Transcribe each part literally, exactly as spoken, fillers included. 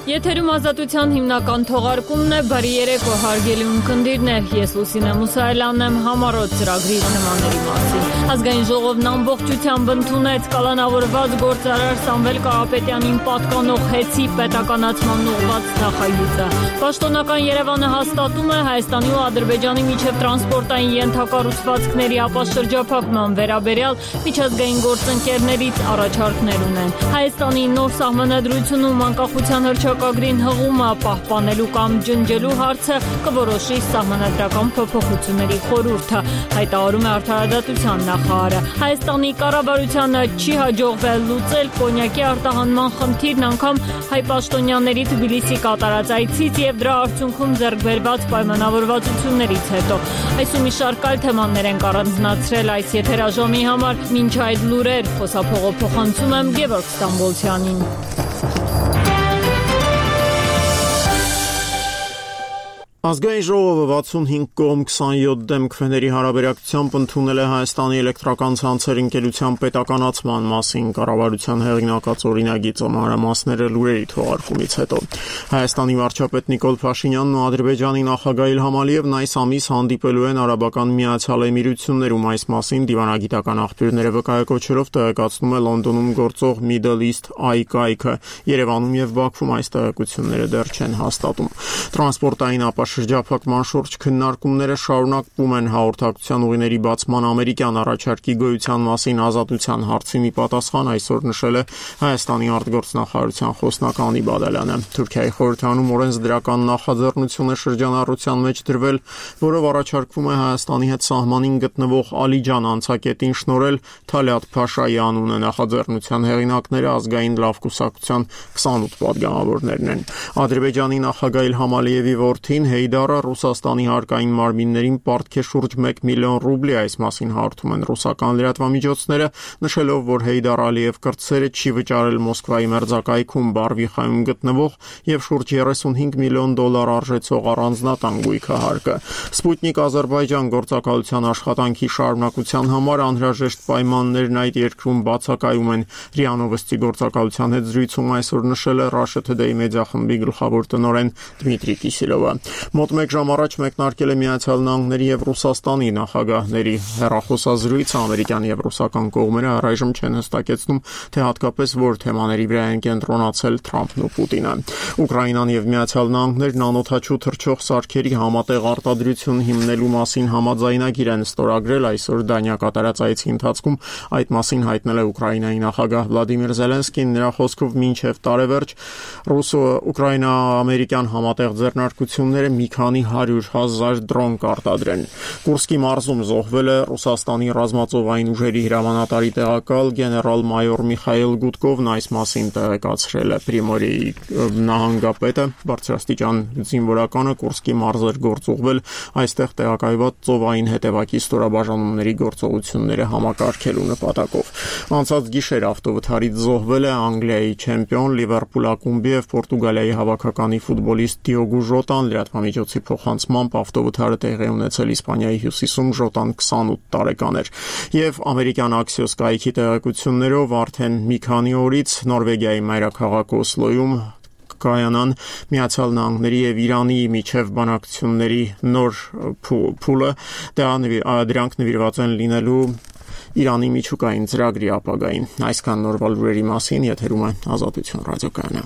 Եթերում ազատության հիմնական թողարկումն է, բարի երեկո հարգելի ունկնդիրներ, ես Լուսինե Մուսայելյանն եմ, համառոտ ծրագրի նմանների մասին։ Ազգային ժողովն ամբողջությամբ ընդունեց կալանավորված գործարար Սամվել Կարապետյանին պատկանող հեծի պետականացման ուղղված նախագիծը։ Պաշտոնական Երևանը հաստատում է Հայաստանի ու Ադրբեջանի միջև տրանսպորտային ենթակառուցվածքների ապաշրջափակման վերաբերյալ միջազգային գործընկերներից առաջարկներ ունեն։ Հայաստանի նոր սահմանադրությունում անկախության հռչակագրին հղումը պահպանելու կամ ջնջելու հարցը կորոշի սահմանադրական փոփոխությունների խորհուրդը, հայտարարում է Արդարադատության նախարարը։ Հայաստանի կառավարությանը չի հաջողվել լուծել կոնյակի արտահանման խնդիրն անգամ հայ պաշտոնյաների Թբիլիսի կատարած այցից եւ դրա արդյունքում ձեռք բերված պայմանավորվածություններից հետո։ Այսու մի շարք այլ թեմաներ են առանձնացրել այս եթերաժամի համար, մինչ այդ լուրեր խոսափողով փոխանցում եմ Գևորգ Ստամբոլցյանին։ Ազգային ժողովը վաթսունհինգ կողմ քսանյոթ դեմ քվեների հարաբերակցությամբ ընդունել է Հայաստանի էլեկտրական ցանցեր ընկերության պետականացման մասին կառավարության հեղինակած օրինագիծը մանրամասները լուրերի թողարկումից հետո։ Հայաստանի վարչապետ Նիկոլ Փաշինյանն ու Ադրբեջանի նախագահ Իլհամ Ալիևն այս ամիս հանդիպելու են Արաբական Միացյալ Էմիրություններում, այս մասին դիվանագիտական աղբյուրները վկայակոչերով տեղեկացնում է Լոնդոնում գործող Middle East Eye կայքը։ Երևանում եւ Բաքվում այս տեղեկությունները դեռ չեն հաստատում։ Տրանսպորտային շրջափակման շուրջ քննարկումները շարունակվում են հաղորդակցության ուղիների բացման ամերիկյան առաջարկի գոյության մասին ազատության հարցի մի պատասխան այսօր նշել է Հայաստանի արտգործնախարարության խոսնակ Անի Բադալյանը։ Թուրքիայի խորհրդանում օրենսդրական նախաձեռնություն է շրջանառության մեջ դրվել, որով առաջարկվում է Հայաստանի հետ սահմանին գտնվող Ալիջան անցակետին շնորհել Թալյատ Փաշայի անունը։ Նախաձեռնության հեղինակները ազգային լավ կուսակցության քսանութ պատգամավորներն են։ Ադրբեջանի նախագահ Իլհամ Ալիևի որդին Հեյդարը Ռուսաստանի հարկային մարմիններին պարտք է շուրջ մեկ միլիոն ռուբլի, այս մասին հաղորդում են ռուսական լրատվամիջոցները, նշելով, որ Հեյդար Ալիև կրտսերը չի վճարել Մոսկվայի մերձակայքում Բարվիխայում գտնվող եւ շուրջ երեսունհինգ միլիոն դոլար արժեցող առանձնատան գույքահարկը։ Սպուտնիկ Ադրբեջան գործակալության աշխատանքի շարունակության համար անհրաժեշտ պայմաններն այդ երկրում բացակայում են։ ՌԻԱ Նովոստի գործակալության հետ զրույցում այսօր նշել է Russia Today մեդիա խմբի գլխավոր տնօրեն Դմիտրի Կիսելովը։ Մոտ մեկ ժամ առաջ մեկնարկել է Միացյալ Նահանգների եւ Ռուսաստանի նախագահների հեռախոսազրույցը, ամերիկյան եւ ռուսական կողմերը առայժմ չեն հստակեցնում, թե հատկապես որ թեմաների վրա են կենտրոնացել Թրամփն ու Պուտինը։ Ուկրաինան եւ Միացյալ Նահանգներն անօդաչու թռչող սարքերի համատեղ արտադրություն հիմնելու մասին համաձայնագիր են ստորագրել, այսօր Դանիա կատարած այցի ընթացքում այդ մասին հայտնել է Ուկրաինայի նախագահ Վլադիմիր Զելենսկին։ Նրա խոսքով մինչև տարեվերջ ռուսո-ուկրաինա-ամերիկյան համատեղ ձեռնարկությունները մի քանի հարյուր հազար դրոն կարտադրեն։ Կուրսկի մարզում զոհվել է Ռուսաստանի ռազմածովային ուժերի հրամանատարի տեղակալ գեներալ-մայոր Միխայել Գուտկովն, այս մասին տեղեկացրել է Պրիմորիի նահանգապետը։ Բարձրաստիճան զինվորականը Կուրսկի մարզ էր գործուղվել այստեղ տեղակայված ծովային հետևակի ստորաբաժանումների գործողությունները համակարգելու նպատակով։ Անցած գիշեր ավտովթարից զոհվել է Անգլիայի չեմպիոն Լիվերպուլ ակումբի եւ Պորտուգալիայի հավաքականի ֆուտբոլիստ Դիոգո Ժոտան։ Լրատվամիջոցի փոխանցմամբ ավտովթարը տեղի ունեցել Իսպանիայի հյուսիսում, Ժոտան քսանութ տարեկան էր։ Եվ ամերիկյան Axios կայքի տեղեկություններով արդեն մի քանի օրից Նորվեգիայի մայրաքաղաք Օսլոյում կայանան Միացյալ Նահանգների եւ Իրանի միջև բանակցությունների նոր փուլը, դրանք նվիրված են լինելու Իրանի միջուկային ծրագրի ապագային։ Այսքան նորվա լուրերի մասին, եթերում է Ազատություն ռադիոկայանը։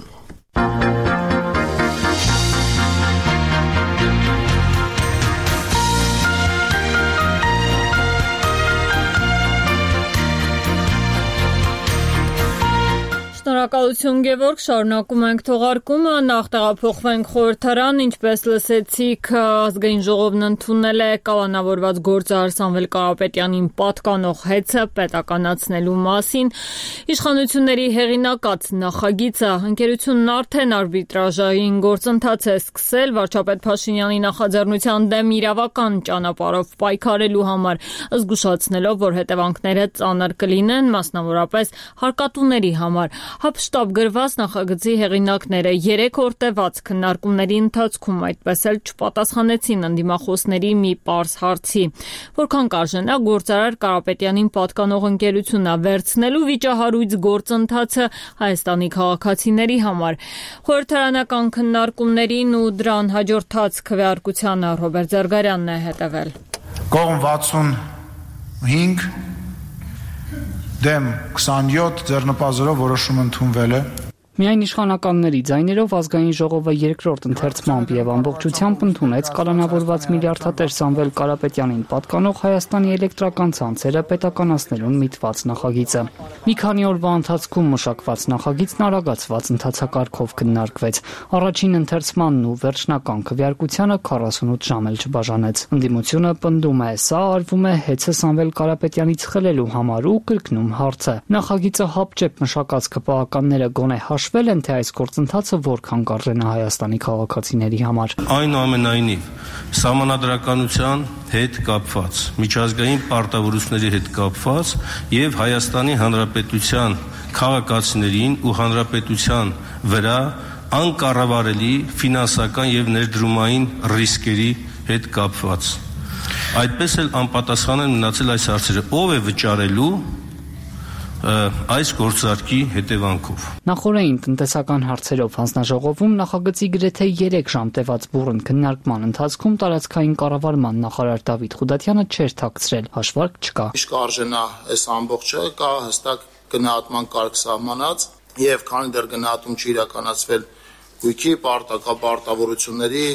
Շնորհակալություն Գևորգ, շարունակում ենք թողարկումը, նախ տեղափոխվենք խորհրդարան, ինչպես լսեցիք, ազգային ժողովն ընդունել է կալանավորված գործարար Սամվել Կարապետյանին պատկանող հեծը պետականացնելու մասին։ Իշխանությունների հեղինակած նախագիծը ընկերությունն արդեն արբիտրաժային գործընթաց է սկսել վարչապետ Փաշինյանի նախաձեռնության դեմ իրավական ճանապարհով պայքարելու համար, զգուշացնելով, որ հետևանքները ծանր կլինեն, մասնավորապես հարկատուների համար։ Առհապշտապ գրված նախագծի հեղինակները երեք օր տևած քննարկումների ընթացքում այդպես էլ չպատասխանեցին ընդդիմախոսների մի պարզ հարցի. որքան կարժենա գործարար Կարապետյանին պատկանող ընկերությունը վերցնելու վիճահարույց գործընթացը Հայաստանի քաղաքացիների համար։ Խորհրդարանական քննարկումներին ու դրան հաջորդած քվեարկությանը Ռոբերտ Զարգարյանն է հետևել։ Կողմ վաթսունհինգ դեմ քսանյոթ ձեռնպազորով որոշում ընդունվել է։ Միայն իշխանականների ձայներով ազգային ժողովը երկրորդ ընթերցմամբ եւ ամբողջությամբ ընդունեց կալանավորված միլիարդատեր Սամվել Կարապետյանին պատկանող Հայաստանի էլեկտրական ցանցերը պետականացնելուն միտված նախագիծը։ Մի քանի օրվա ընթացքում մշակված նախագիծն արագացված ընթացակարգով քննարկվեց։ Առաջին ընթերցմանն ու վերջնական քվեարկությանը քառասունութ ժամ էլ չբաժանեց։ Ընդդիմությունը պնդում է, սա արվում է հեծը Սամվել Կարապետյանից խլելու համար ու կրկնում հարցը։ Նախագիծը հապճեպ մշակած քպահականները գոնե հաշվել են, թե այս գործընթացը որքան կարժենա Հայաստանի քաղաքացիների համար։ Այնուամենայնիվ, սահմանադրականության հետ կապված, միջազգային պարտավորությունների հետ կապված եւ Հայաստանի Հանրապետության քաղաքացիներին ու հանրապետության վրա անկառավարելի ֆինանսական եւ ներդրումային ռիսկերի հետ կապված։ Այդպես էլ անպատասխան են մնացել այս հարցերը. ով է վճարելու այս գործարքի հետևանքով։ Նախորդային տնտեսական հարցերով հանձնաժողովում նախագծի գրեթե երեք ժամ տևած բուռն քննարկման ընթացքում տարածքային կառավարման նախարար Դավիթ Խուդատյանը չէր թաքցրել, հաշվարկ չկա։ Իսկ արժենա այս ամբողջը կա հստակ գնահատման կարգ սահմանած եւ քանի դեռ գնահատում չի իրականացվել գույքի պարտակապարտավորությունների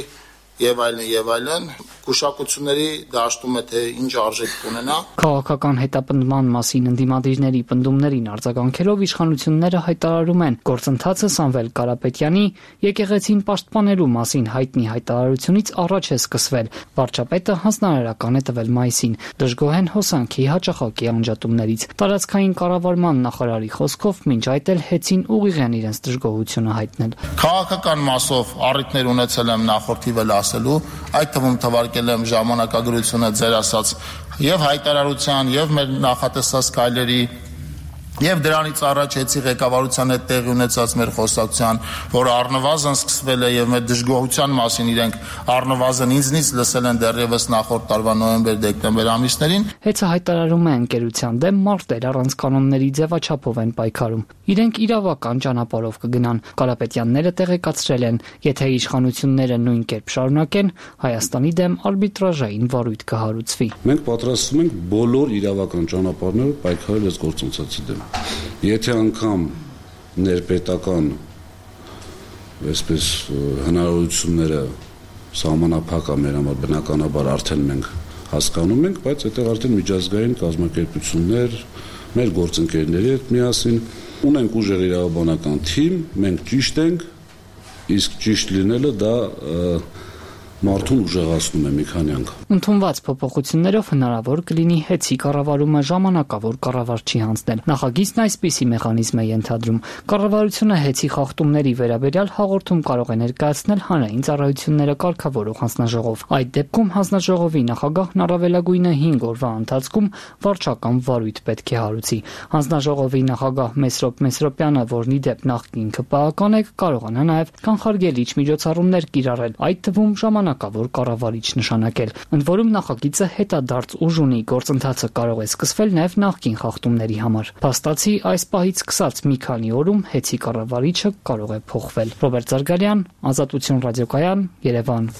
եւ այլն եւ այլն կուշակությունների դաշտում է թե ինչ արժեք կունենա։ Քաղաքական հետապնդման մասին ընդդիմադիրների պնդումներին արձագանքելով իշխանությունները հայտարարում են գործընթացը Սամվել Կարապետյանի եկեղեցին պաշտպանելու մասին հայտնի հայտարարությունից առաջ է սկսվել։ Վարչապետը հանձնարարական է տվել մայիսին։ Դժգոհ են հոսանքի հաճախակի անջատումներից։ Տարածքային կառավարման նախարարի խոսքով մինչ այդ էլ հեծին ուղիղ են իրենց դժգոհությունը հայտնել։ Քաղաքական մասով առիթներ ունեցել եմ նախորդիվ էլ ասելու, այդ թվում թվարկել եմ ժամանակագրությունը ձեր ասած եւ հայտարարության եւ մեր նախատեսած քայլերի եւ դրանից առաջ էցի ղեկավարության հետ տեղի ունեցած մեր խոսակցության, որ առնվազն սկսվել է եւ մեր դժգոհության մասին իրենք առնվազն ինձնից լսել են դեռևս նախորդ տարվա նոյեմբեր-դեկտեմբեր ամիսներին։ Հեծը հայտարարում է ընկերության դեմ մարտեր առանց կանոնների ձևաչափով են պայքարում։ Իրենք իրավական ճանապարհով կգնան։ Կարապետյանները տեղեկացրել են, եթե իշխանությունները նույն կերպ շարունակեն, Հայաստանի դեմ արբիտրաժային վարույթ կհարուցվի։ Մենք պատրաստվում ենք բոլոր իրավական ճանապարհներով պայքարել այս գործընթացի դեմ։ Եթե անգամ ներպետական այսպես հնարավորությունները սահմանափակ է մեր համար բնականաբար արդեն մենք հասկանում ենք, բայց այդտեղ արդեն միջազգային կազմակերպություններ, մեր գործընկերների հետ միասին ունենք ուժեղ իրավաբանական թիմ, մենք ճիշտ ենք, իսկ ճիշտ լինելը դա մարդուն ուժեղացնում է մի քանի անգամ։ Ընդունված փոփոխություններով հնարավոր կլինի հեծի կառավարումը ժամանակավոր կառավարչի հանձնել։ Նախագիծն այսպիսի մեխանիզմ է ենթադրում։ Կառավարությունը հեծի խախտումների վերաբերյալ հաղորդում կարող է ներկայացնել հանրային ծառայությունները կարգավորող հանձնաժողով։ Այդ դեպքում հանձնաժողովի նախագահն առավելագույնը հինգ օրվա ընթացքում վարչական վարույթ պետք է հարուցի։ Հանձնաժողովի նախագահ Մեսրոպ Մեսրոպյանը, որն ի դեպ նախկին քպական է, կարողանա նաև կանխարգելիչ միջոցառումներ կիրառել, այդ թվում ժամանակավոր կառավարիչ նշանակել։ Ընդ որում նախագիծը հետադարձ ուժ ունի, գործընթացը կարող է սկսվել նաև նախկին խախտումների համար։ Փաստացի այս պահից սկսած մի քանի օրում հեծի կառավարիչը կարող է փոխվել։ Ռոբերտ Զարգարյան, Ազատություն ռադիոկայան, Երևան։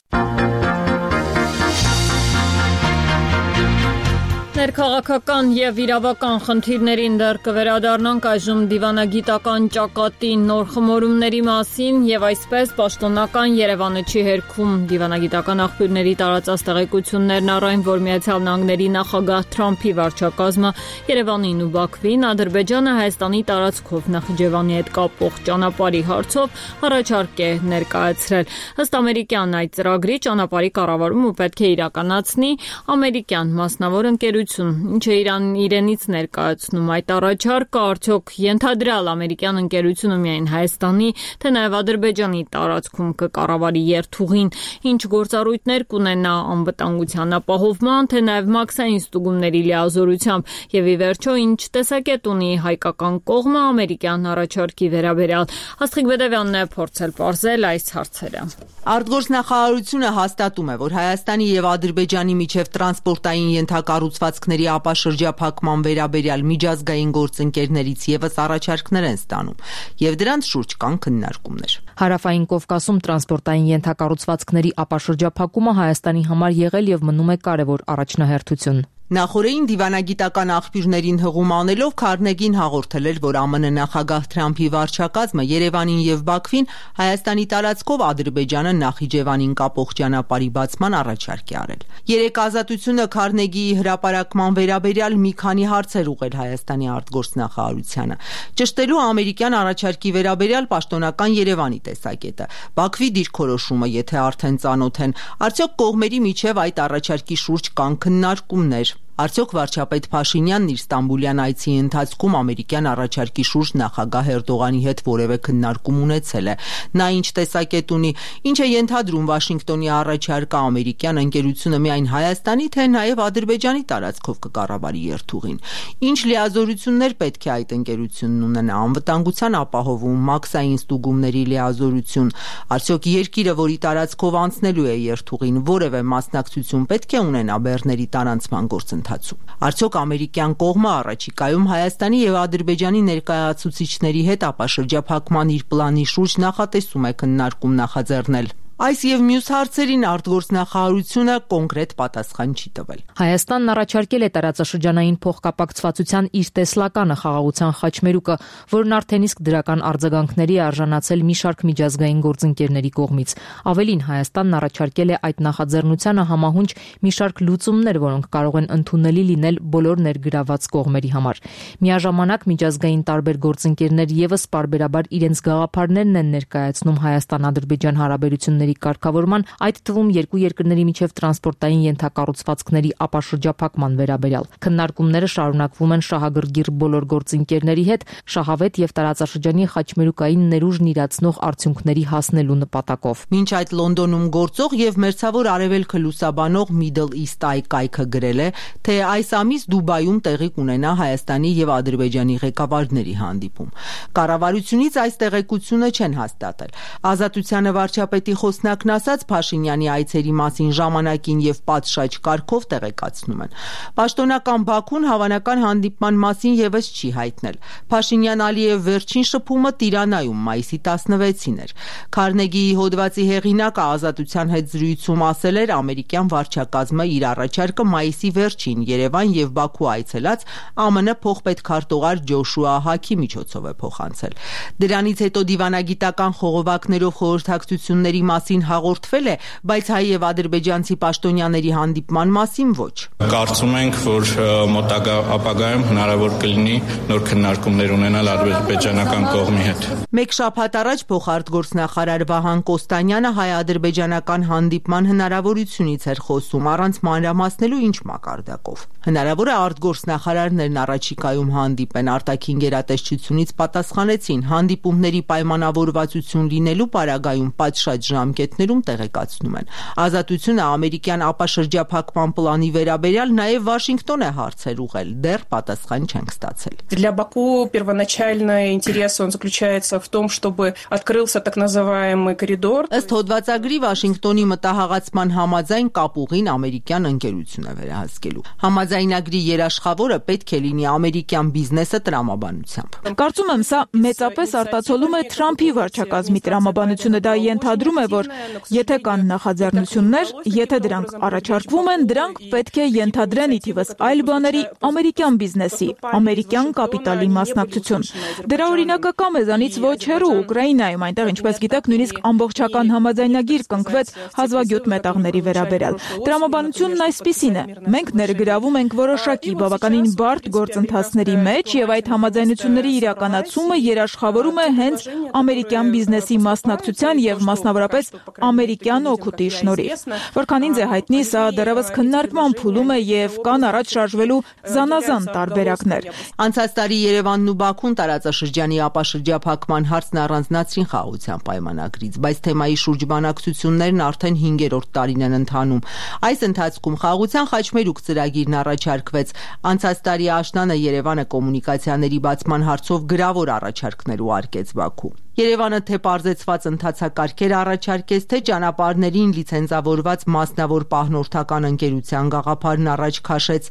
Ներքաղաքական եւ իրավական խնդիրներին դեռ կվերադառնանք այժմ դիվանագիտական ճակատի նոր խմորումների մասին եւ այսպես պաշտոնական Երևանը չի հերքում դիվանագիտական աղբյուրների տարածած տեղեկություններն առայն, որ Միացյալ Նահանգների նախագահ Թրամփի վարչակազմը Երևանին ու Բաքվին Ադրբեջանը Հայաստանի տարածքով Նախիջևանի հետ կապող ճանապարհի հարցով առաջարկ է ներկայացրել։ Ըստ ամերիկյան այդ ծրագրի ճանապարհի կառավարումը պետք է իրականացնի ամերիկյան մասնավոր ընկերություն ընկերություն, ինչը Իրանն իրենից ներկայացնում այդ առաջարկը, արդյոք ենթադրյալ ամերիկյան ընկերությունը միայն Հայաստանի, թե նաև Ադրբեջանի տարածքում կկառավարի երթուղին, ինչ գործառույթներ կունենա անվտանգության ապահովման, թե նաև մաքսային ստուգումների լիազորությամբ, եւ ի վերջո ինչ տեսակետ ունի հայկական կողմը ամերիկյան առաջարկի վերաբերյալ։ Աստղիկ Բեդևյանն է փորձել պարզել այս հարցերը։ Արտգործնախարարությունը հաստատում է, որ Հայաստանի եւ Ադրբեջանի միջև տրանսպորտային ենթակառուցվածքների ապաշրջափակման վերաբերյալ միջազգային գործընկերներից եւս առաջարկներ են ստանում, եւ դրանց շուրջ կան քննարկումներ։ Հարավային Կովկասում տրանսպորտային ենթակառուցվածքների ապաշրջափակումը Հայաստանի համար եղել եւ մնում է կարևոր առաջնահերթություն։ Նախորդին դիվանագիտական աղբյուրներին հղում անելով Քարնեգին հաղորդել էր, որ ԱՄՆ նախագահ Թրամփի վարչակազմը Երևանին եւ Բաքվին Հայաստանի տարածքով Ադրբեջանը Նախիջևանին կապող ճանապարհի բացման առաջարկ է արել։ Երեք Ազատությունը Քարնեգիի հրապարակման վերաբերյալ մի քանի հարցեր ուղղել Հայաստանի արտգործնախարարությանը, ճշտելու ամերիկյան առաջարկի վերաբերյալ պաշտոնական Երևանի տեսակետը, Բաքվի դիրքորոշումը, եթե արդեն ծանոթ են, արդյոք կողմերի միջև այդ առաջարկի շուրջ կան քննարկումներ։ Արդյոք վարչապետ Փաշինյանն իր Ստամբուլյան այցի ընթացքում ամերիկյան առաջարկի շուրջ նախագահ Էրդողանի հետ որևէ քննարկում ունեցել է։ Նա ինչ տեսակետ ունի, ինչ է ենթադրում Վաշինգտոնի առաջարկը ամերիկյան ընկերությունը միայն Հայաստանի, թե նաև Ադրբեջանի տարածքով կկառավարի երթուղին։ Ինչ լիազորություններ պետք է այդ ընկերությունն ունենա, անվտանգության ապահովում, մաքսային ստուգումների լիազորություն, արդյոք երկիրը, որի տարածքով անցնելու է երթուղին, որևէ մասնակցություն պետք է ունենա բեռների տարանցման գործընթացում։ Արդյոք ամերիկյան կողմը առաջիկայում Հայաստանի եւ Ադրբեջանի ներկայացուցիչների հետ ապաշրջափակման իր պլանի շուրջ նախատեսում է քննարկում նախաձեռնել։ Այս եւ մյուս հարցերին արտգործնախարարությունը կոնկրետ պատասխան չի տվել։ Հայաստանն առաջարկել է տարածաշրջանային փոխկապակցվածության իր տեսլականը խաղաղության խաչմերուկը, որն արդեն իսկ դրական արձագանքների է արժանացել մի շարք միջազգային գործընկերների կողմից։ Ավելին, Հայաստանն առաջարկել է այդ նախաձեռնությանը համահունչ մի շարք լուծումներ, որոնք կարող են ընդունելի լինել բոլոր ներգրաված կողմերի համար։ Միաժամանակ միջազգային տարբեր գործընկերներ եւս պարբերաբար իրենց գաղափարներն են ներկայացնում Հայաստան-Ադրբեջան հարաբերությունների կարգավորման, այդ թվում երկու երկրների միջև տրանսպորտային ենթակառուցվածքների ապաշրջափակման վերաբերյալ։ Քննարկումները շարունակվում են շահագրգիռ բոլոր գործընկերների հետ, շահավետ եւ տարածաշրջանի խաչմերուկային ներուժն իրացնող արդյունքների հասնելու նպատակով։ Մինչ այդ Լոնդոնում գործող եւ մերձավոր արևելքը լուսաբանող Middle East Eye կայքը գրել է, թե այս ամիս Դուբայում տեղի կունենա Հայաստանի եւ Ադրբեջանի ղեկավարների հանդիպում։ Կառավարությունից այս տեղեկությունը չեն հաստատել։ Ազատությանը վարչապետի խոսնակն ասաց Փաշինյանի այցերի մասին ժամանակին եւ պատշաճ կարգով տեղեկացնում են։ Պաշտոնական Բաքուն հավանական հանդիպման մասին եւս չի հայտնել։ Փաշինյան-Ալիև վերջին շփումը Տիրանայում մայիսի տասնվեցին էր։ Քարնեգիի հոդվածի հեղինակը Ազատության հետ զրույցում ասել էր, ամերիկյան վարչակազմը իր առաջարկը մայիսի վերջին Երևան եւ Բաքու այցելած ԱՄՆ փոխպետքարտուղար Ջոշուա Հակի միջոցով է փոխանցել։ Դրանից հետո դիվանագիտական խողովակներով խորհրդակցությունների մասին հաղորդվել է, բայց հայ եւ ադրբեջանցի պաշտոնյաների հանդիպման մասին ոչ։ Կարծում ենք, որ մոտակա ապագայում հնարավոր կլինի նոր քննարկումներ ունենալ ադրբեջանական կողմի հետ։ Մեկ շաբաթ առաջ փոխարտգործնախարար Վահան Կոստանյանը հայ-ադրբեջանական հանդիպման հնարավորությունից էր խոսում, առանց մանրամասնելու ինչ մակարդակով։ Հնարավոր է արտգործնախարարներն առաջիկայում հանդիպեն, արտաքին գերատեսչությունից պատասխանեցին, հանդիպումների պայմանավորվածություն լինելու պարագայում պատշաճ ժամկետներում տեղեկացնում են։ Ազատությունը ամերիկյան ապաշրջափակման պլանի վերաբերյալ նաև Վաշինգտոն է հարցեր ուղղել, դեռ պատասխան չենք ստացել։ Для Баку первоначальный интерес он заключается в том, чтобы открылся так называемый коридор. Ըստ հոդվածագրի Վաշինգտոնի մտահղացման համաձայն կապուղին ամերիկյան ընկերություն է վերահսկելու։ Համաձայնագրի երաշխավորը պետք է լինի ամերիկյան բիզնեսը տրամաբանությամբ։ Կարծում եմ, սա մեծապես արտացոլում է Թրամփի վարչակազմի տրամաբանությունը, դա ենթադրում է, որ եթե կան նախաձեռնություններ, եթե դրանք առաջարկվում են, դրանք պետք է ենթադրեն ի թիվս այլ բաների ամերիկյան բիզնեսի, ամերիկյան կապիտալի մասնակցություն։ Դրա օրինակը կա մեզանից ոչ հեռու Ուկրաինայում, այնտեղ, ինչպես գիտեք, նույնիսկ ամբողջական համաձայնագիր կնքվեց հազվագյուտ մետաղների վերաբերյալ։ Տրամաբանությունն այսպիսին է. մենք ներգրավում ենք որոշակի բավականին բարդ գործընթացների մեջ եւ այդ համաձայնությունների իրականացումը երաշխավորում է հենց ամերիկյան բիզնեսի մասնակցության եւ մասնավորապես ամերիկյան օգուտի շնորհիվ։ Որքան ինձ է հայտնի, սա դեռևս քննարկման փուլում է եւ կան առաջ շարժվելու զանազան տարբերակներ։ Անցած տարի Երևանն ու Բաքուն տարածաշրջանի ապաշրջափակման հարցն առանձնացրին խաղաղության պայմանագրից, բայց թեմայի շուրջ բանակցություններն արդեն հինգերորդ տարին են ընթանում։ Այս ընթացքում խաղաղության խաչմերուկ ծրագիրն առաջարկվեց։ Անցած տարի աշնանը Երևանը կոմունիկացիաների բացման հարցով գրավոր առաջարկներ ուղարկեց Բաքու։ Երևանը թե պարզեցված ընթացակարգեր առաջարկեց, թե ճանապարհներին լիցենզավորված մասնավոր պահնորդական ընկերության գաղափարն առաջ քաշեց,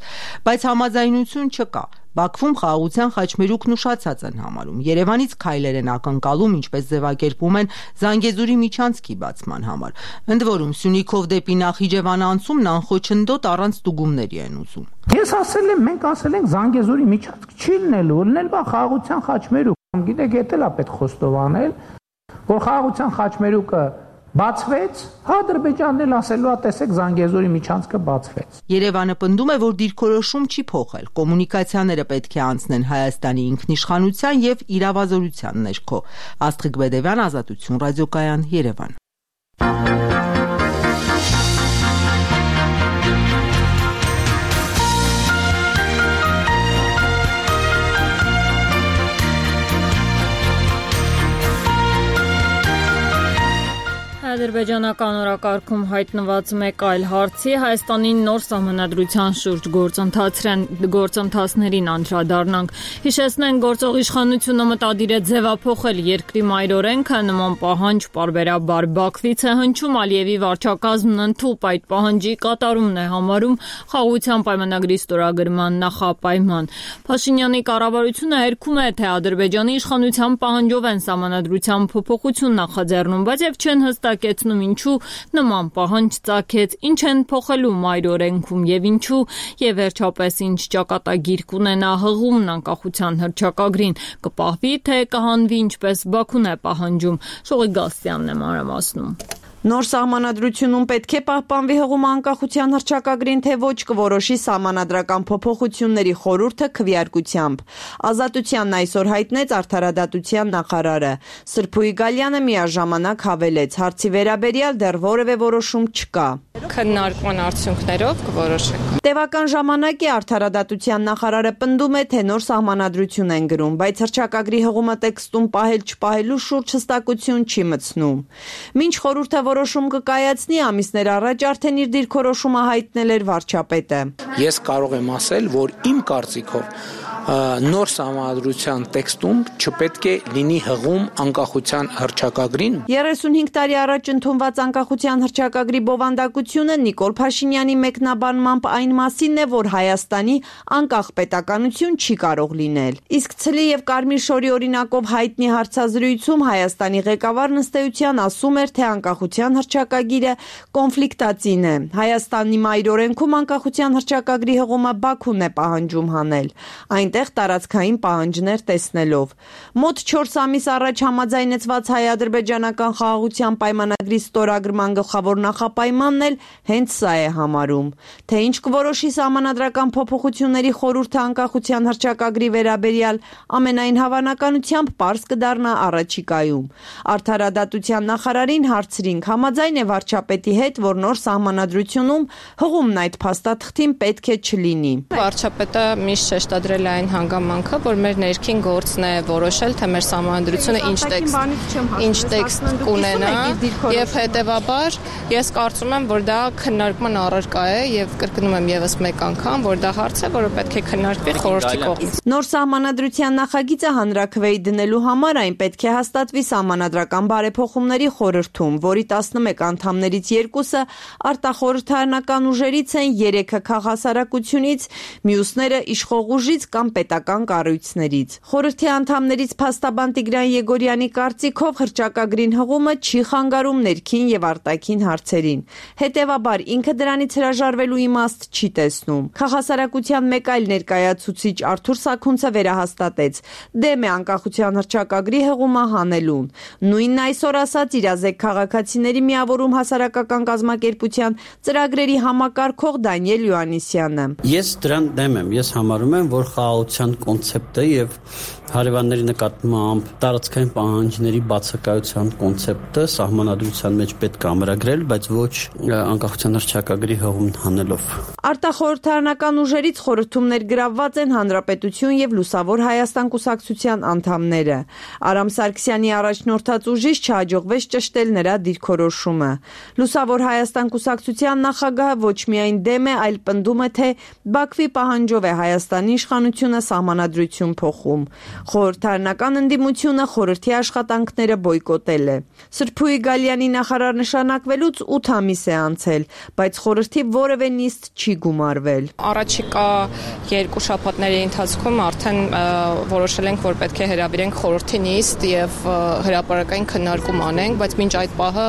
բայց համաձայնություն չկա։ Բաքվում խաղաղության խաչմերուկն ուշացած են համարում։ Երևանից քայլեր են ակնկալում, ինչպես ձևակերպում են Զանգեզուրի միջանցքի բացման համար։ Ընդ որում Սյունիքով դեպի Նախիջևան անցումն անխոչնդոտ առանց ստուգումների են ուզում։ Ես ասել եմ, մենք ասել ենք Զանգեզուրի միջանցք չի լինելու, լինել բա խաղաղության խաչմերուկ։ Գիտեք, դա է պետք խոստովանել, որ խաղաղության խաչմերուկը բացվեց, Ադրբեջանն էլ ասելու է, տեսեք, Զանգեզուրի միջանցքը բացվեց։ Երևանը պնդում է, որ դիրքորոշում չի փոխել։ Կոմունիկացիաները պետք է անցնեն Հայաստանի ինքնիշխանության եւ իրավազորության ներքո։ Աստղիկ Բեդևյան, Ազատություն ռադիոկայան, Երևան։ Ադրբեջանական օրակարգում հայտնված մեկ այլ հարցի Հայաստանի նոր սահմանադրության շուրջ գործընթացներին անդրադառնանք։ Հիշեցնենք, գործող իշխանությունը մտադիր է ձևափոխել երկրի մայրօրենքը, նման պահանջ պարբերաբար Բաքվից է հնչում, Ալիևի վարչակազմն ընդհուպ այդ պահանջի կատարումն է համարում խաղաղության պայմանագրի ստորագրման նախապայման։ Փաշինյանի կառավարությունը հերքում է, թե Ադրբեջանի իշխանության պահանջով են սահմանադրության փոփոխություն նախաձեռնում, բայց եւ չեն հստակ ինչու նման պահանջ ծագեց, ինչ են փոխելու մայրօրենքում եւ ինչու, եւ վերջապես ինչ ճակատագիր կունենա հղումն անկախության հռչակագրին, կպահվի թե կհանվի ինչպես Բաքուն է պահանջում։ Շողիկ Գասյանն է մանրամասնում։ Նոր սահմանադրությունում պետք է պահպանվի հղումը անկախության հռչակագրին, թե ոչ, կորոշի սահմանադրական փոփոխությունների խորհուրդը քվեարկությամբ։ Ազատությանն այսօր հայտնեց արդարադատության նախարարը։ Սրփուի Գալյանը միաժամանակ հավելեց, հարցի վերաբերյալ դեռ որևէ որոշում չկա։ Քննարկման արդյունքներով կորոշենք։ Տևական ժամանակ է արդարադատության նախարարը պնդում է, թե նոր սահմանադրություն են գրում, բայց հռչակագրի հղումը տեքստում պահել չպահելու շուրջ հստակություն չի մտցնում։ Մինչ խորհուրդը որոշում կկայացնի, ամիսներ առաջ արդեն իր դիրքորոշումը հայտնել էր վարչապետը։ Ես կարող եմ ասել, որ իմ կարծիքով նոր սահմանադրության տեքստում չպետք է լինի հղում անկախության հռչակագրին։ երեսունհինգ տարի առաջ ընդունված անկախության հռչակագրի բովանդակությունը Նիկոլ Փաշինյանի մեկնաբանմամբ այն մասին է, որ Հայաստանի անկախ պետականություն չի կարող լինել։ Իսկ ցլի եւ Կարմիր շորի օրինակով հայտնի հարցազրույցում Հայաստանի ղեկավարն ըստ էության ասում էր, թե անկախության հռչակագիրը կոնֆլիկտածին է։ Հայաստանի մայրօրենքում անկախության հռչակագրի հղումը Բաքուն է պահանջում հանել։ Այն տարածքային պահանջներ տեսնելով։ Մոտ չորս ամիս առաջ համաձայնեցված հայ-ադրբեջանական խաղաղության պայմանագրի ստորագրման գլխավոր նախապայմանն էլ հենց սա է համարում, թե ինչ կորոշի սահմանադրական փոփոխությունների խորհուրդը անկախության հռչակագրի վերաբերյալ ամենայն հավանականությամբ պարզ կդառնա առաջիկայում։ Արդարադատության նախարարին հարցրինք, համաձայն է վարչապետի հետ, որ նոր սահմանադրությունում հղումն այդ փաստաթղթին պետք է չլինի։ Վարչապետը միշտ շեշտադրել է այն հանգամանքը, որ մեր ներքին գործն է որոշել, թե մեր սահմանադրությունը ինչ տեքստ, ինչ տեքստ կունենա, եւ հետեւաբար ես կարծում եմ, որ դա քննարկման առարկա է եւ կրկնում եմ եւս մեկ անգամ, որ դա հարց է, որը պետք է քննարկվի խորհրդի կողմից։ Նոր սահմանադրության նախագիծը հանրաքվեի դնելու համար այն պետք է հաստատվի սահմանադրական բարեփոխումների խորհրդում, որի տասնմեկ անդամներից երկուսը արտախորհրդարանական ուժերից են, երեքը քաղաքասարակությունից, մյուսները իշխող ուժից կամ պետական կառույցներից։ Խորհրդի անդամներից փաստաբան Տիգրան Եգորյանի կարծիքով հռչակագրին հղումը չի խանգարում ներքին եւ արտաքին հարցերին։ Հետևաբար ինքը դրանից հրաժարվելու իմաստ չի տեսնում։ Քաղաքասարակության մեկ այլ ներկայացուցիչ Արթուր Սաքունցը վերահաստատեց, դեմ է անկախության հռչակագրի հղումը հանելուն։ Նույնն այսօր ասաց իրազեկ քաղաքացիների մարմինների միավորում հասարակական կազմակերպության ծրագրերի համակարգող Դանիել Յուաննիսյանը։ Ես դրան դեմ եմ, ես համարում եմ, որ խաղաղության կոնցեպտը եւ հարևանների նկատմամբ տարածքային պահանջների բացակայության կոնցեպտը սահմանադրության մեջ պետք է ամրագրել, բայց ոչ անկախության հռչակագրի հղում հանելով։ Արտախորհրդարանական ուժերից խորհրդումներ գրավված են Հանրապետություն եւ Լուսավոր Հայաստան կուսակցության անդամները։ Արամ Սարգսյանի առաջնորդած ուժից չհաջողվեց ճշտել նրա դիրքորոշումը։ Լուսավոր Հայաստան կուսակցության նախագահը ոչ միայն դեմ է, այլ պնդում է, թե Բաքվի պահանջով է Հայաստանի իշխանությունը սահմանադրություն փոխում։ Խորհրդարանական ընդդիմությունը խորհրդի աշխատանքները բոյկոտել է։ Սրփուի Գալյանի նախարար նշանակվելուց ութ ամիս է անցել, բայց խորհրդի որևէ նիստ չի գումարվել։ Առաջիկա երկու շաբաթների ընթացքում արդեն որոշել ենք, որ պետք է հրավիրենք խորհրդի նիստ եւ հրապարակային քննարկում անենք, բայց մինչ այդ պահը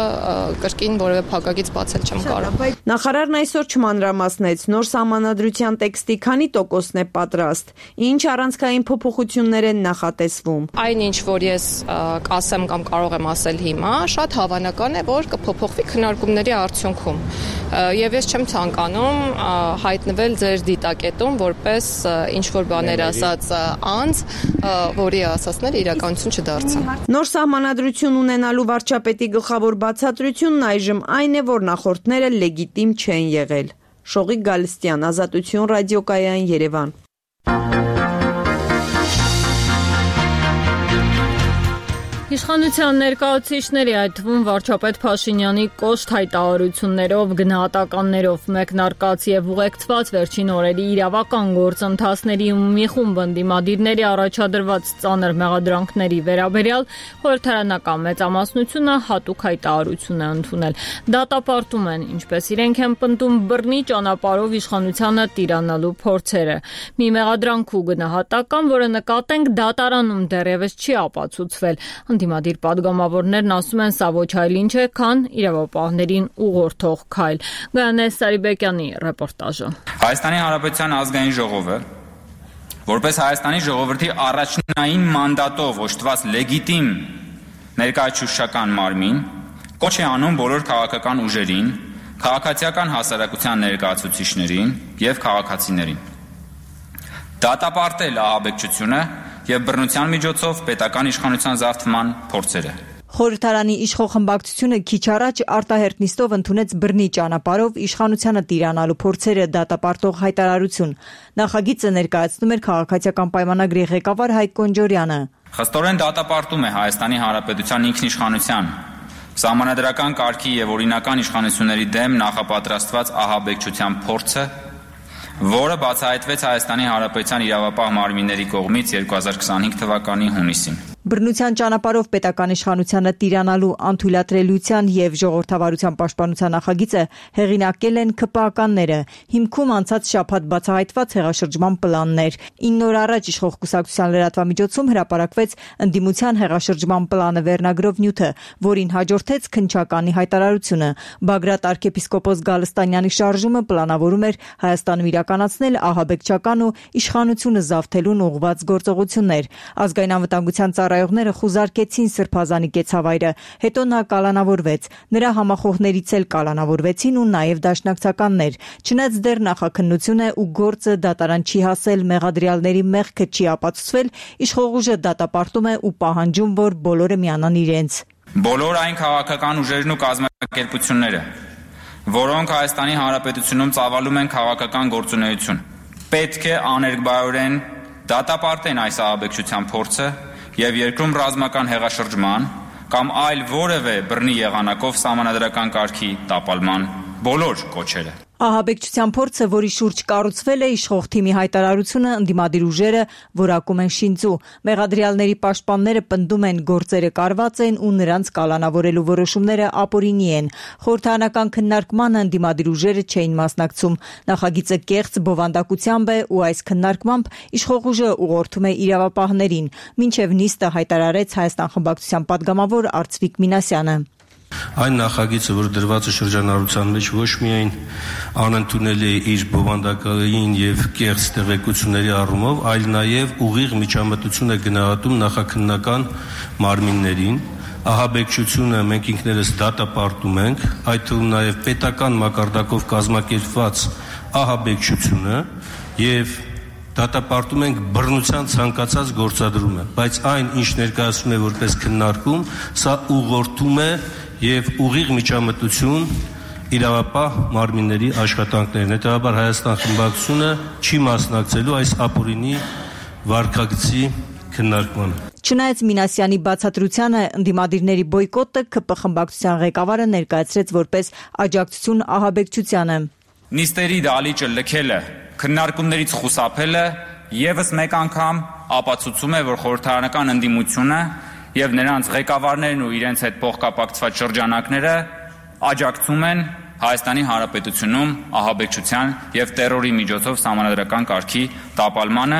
կրկին որևէ փակագից բացել չեմ կարող։ Նախարարն այսօր չմանրամասնեց նոր սահմանադրության տեքստի քանի տոկոսն է պատրաստ, ինչ առանցքային փոփոխություններ են նախատեսվում։ Այն ինչ որ ես կասեմ կամ կարող եմ ասել հիմա, շատ հավանական է, որ կփոփոխվի քննարկումների արդյունքում։ Եվ ես չեմ ցանկանում հայտնվել ձեր դիտակետում որպես ինչ որ բաներ ասած անձ, որի ասածները իրականություն չդարձան։ Նոր սահմանադրություն ունենալու վարչապետի գլխավոր բացատրությունն այժմ այն է, որ նախորդները լեգիտիմ չեն եղել։ Շողիկ Գալստյան, Ազատություն ռադիոկայան, Երևան։ Իշխանության ներկայացուցիչների, այդ թվում վարչապետ Փաշինյանի կոշտ հայտարարություններով, գնահատականներով մեկնարկած եւ ուղեկցված վերջին օրերի իրավական գործընթացների ու մի խումբ ընդդիմադիրների առաջադրված ծանր մեղադրանքների վերաբերյալ խորհրդարանական մեծամասնությունը հատուկ հայտարարություն է ընդունել։ Դատապարտում են, ինչպես իրենք են պնդում, բռնի ճանապարհով իշխանությանը տիրանալու փորձերը։ Մի մեղադրանք ու գնահատական, որը նկատենք դատարանում դեռևս չի ապացուցվել։ Ընդդիմադիր պատգամավորներն ասում են, սա ոչ այլ ինչ է, քան իրավապահներին ուղղորդող քայլ։ Գայանե Սարիբեկյանի ռեպորտաժը։ Հայաստանի Հանրապետության ազգային ժողովը, որպես Հայաստանի ժողովրդի առաջնային մանդատով օժտված լեգիտիմ ներկայացուցչական մարմին, կոչ է անում բոլոր քաղաքական ուժերին, քաղաքացիական հասարակության ներկայացուցիչներին եւ քաղաքացիներին դատապարտել ահաբեկչությունը եւ բռնության միջոցով պետական իշխանության զարթման փորձերը։ Խորհրդարանի իշխող խմբակցությունը քիչ առաջ արտահերթ նիստով ընդունեց բռնի ճանապարհով իշխանությանը տիրանալու փորձերը դատապարտող հայտարարություն։ Նախագիծը ներկայացնում էր քաղաքացիական պայմանագրի ղեկավար Հայկ Կոնջորյանը։ Խստորեն դատապարտում է Հայաստանի Հանրապետության ինքնիշխանության, սահմանադրական կարգի եւ օրինական իշխանությունների դեմ նախապատրաստված ահաբեկչության փորձը, որը բացահայտվեց Հայաստանի Հանրապետության իրավապահ մարմինների կողմից երկու հազար քսանհինգ թվականի հունիսին։ Բռնության ճանապարհով պետական իշխանությանը տիրանալու անթույլատրելիության եւ ժողովրդավարության պաշտպանության նախագիծը հեղինակել են ՔՊԱ-ականները։ Հիմքում անցած շաբաթ բացահայտված հեղաշրջման պլաններ։ ինը օր առաջ իշխող կուսակցության լրատվամիջոցում հրապարակվեց ընդդիմության հեղաշրջման պլանը վերնագրով նյութը, որին հաջորդեց քննչականի հայտարարությունը։ Բագրատ arczepiskopos Գալստանյանի շարժումը պլանավորում էր Հայաստանում իրականացնել ահաբեկչական ու իշխանությունը զավթելուն ուղղված գործողություններ։ Ազգային անվտանգության ծառայողները խուզարկեցին Սրբազանի կեցավայրը, հետո նա կալանավորվեց։ Նրա համախոհներից էլ կալանավորվեցին ու նաև դաշնակցականներ։ Չնայած դեռ նախաքննություն է ու գործը դատարան չի հասել, մեղադրյալների մեղքը չի ապացուցվել, իշխող ուժը դատապարտում է ու պահանջում, որ բոլորը միանան իրենց։ Բոլոր այն քաղաքական ուժերն ու կազմակերպությունները, որոնք Հայաստանի Հանրապետությունում ծավալում են քաղաքական գործունեություն, պետք է աներկբայորեն դատապարտեն այս ահաբեկչության փորձը եւ երկրում ռազմական հեղաշրջման կամ այլ որևէ բռնի եղանակով սահմանադրական կարգի տապալման բոլոր կոչերը։ Ահաբեկչության փորձը, որի շուրջ կառուցվել է իշխող թիմի հայտարարությունը, ընդդիմադիր ուժերը որակում են շինծու։ Մեղադրյալների պաշտպանները պնդում են, գործերը կարված են ու նրանց կալանավորելու որոշումները ապօրինի են։ Խորհրդարանական քննարկմանը ընդդիմադիր ուժերը չէին մասնակցում։ Նախագիծը կեղծ բովանդակությամբ է ու այս քննարկմամբ իշխող ուժը ուղղորդում է իրավապահներին, մինչև նիստը հայտարարեց Հայաստան խմբակցության падգամավոր Արծվիկ Մինասյանը։ Այն նախագիծը, որ դրված է շրջանառության մեջ, ոչ միայն անընդունելի է իր բովանդակային եւ կեղծ տեղեկությունների առումով, այլ նաեւ ուղիղ միջամտություն է գնահատում նախաքննական մարմիններին, ահաբեկչությունը մենք ինքներս դատապարտում ենք, այդ թվում նաև պետական մակարդակով կազմակերպված ահաբեկչությունը եւ դատապարտում ենք բռնության ցանկացած գործադրումը, բայց այն, ինչ ներկայացնում է որպես քննարկում, սա ուղղորդում է եւ ուղիղ միջամտություն իրավապահ մարմինների աշխատանքներն։ Հետևաբար Հայաստան խմբակցությունը չի մասնակցելու այս ապօրինի վարքագծի քննարկմանը։ Չնայած Մինասյանի բացատրությանը, ընդդիմադիրների բոյկոտը ՔՊ խմբակցության ղեկավարը ներկայացրեց որպես աջակցություն ահաբեկչությանը։ Նիստերի դալիճը լքելը, քննարկումներից խուսափելը եւս մեկ անգամ ապացուցում է, որ խորհրդարանական ընդդիմությունը եւ նրանց ղեկավարներն ու իրենց հետ փոխկապակցված շրջանակները աջակցում են Հայաստանի Հանրապետությունում ահաբեկչության եւ տերորի միջոցով սահմանադրական կարգի տապալմանը,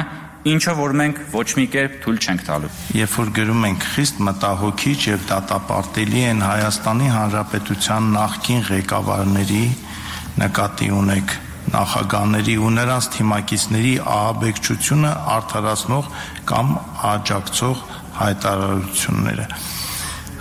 ինչը որ մենք ոչ մի կերպ թույլ չենք տալու։ Երբ որ գրում ենք խիստ մտահոգիչ եւ դատապարտելի են Հայաստանի Հանրապետության նախկին ղեկավարների, նկատի ունեք նախագահների ու նրանց թիմակիցների ահաբեկչությունը արդարացնող կամ աջակցող հայտարարությունները։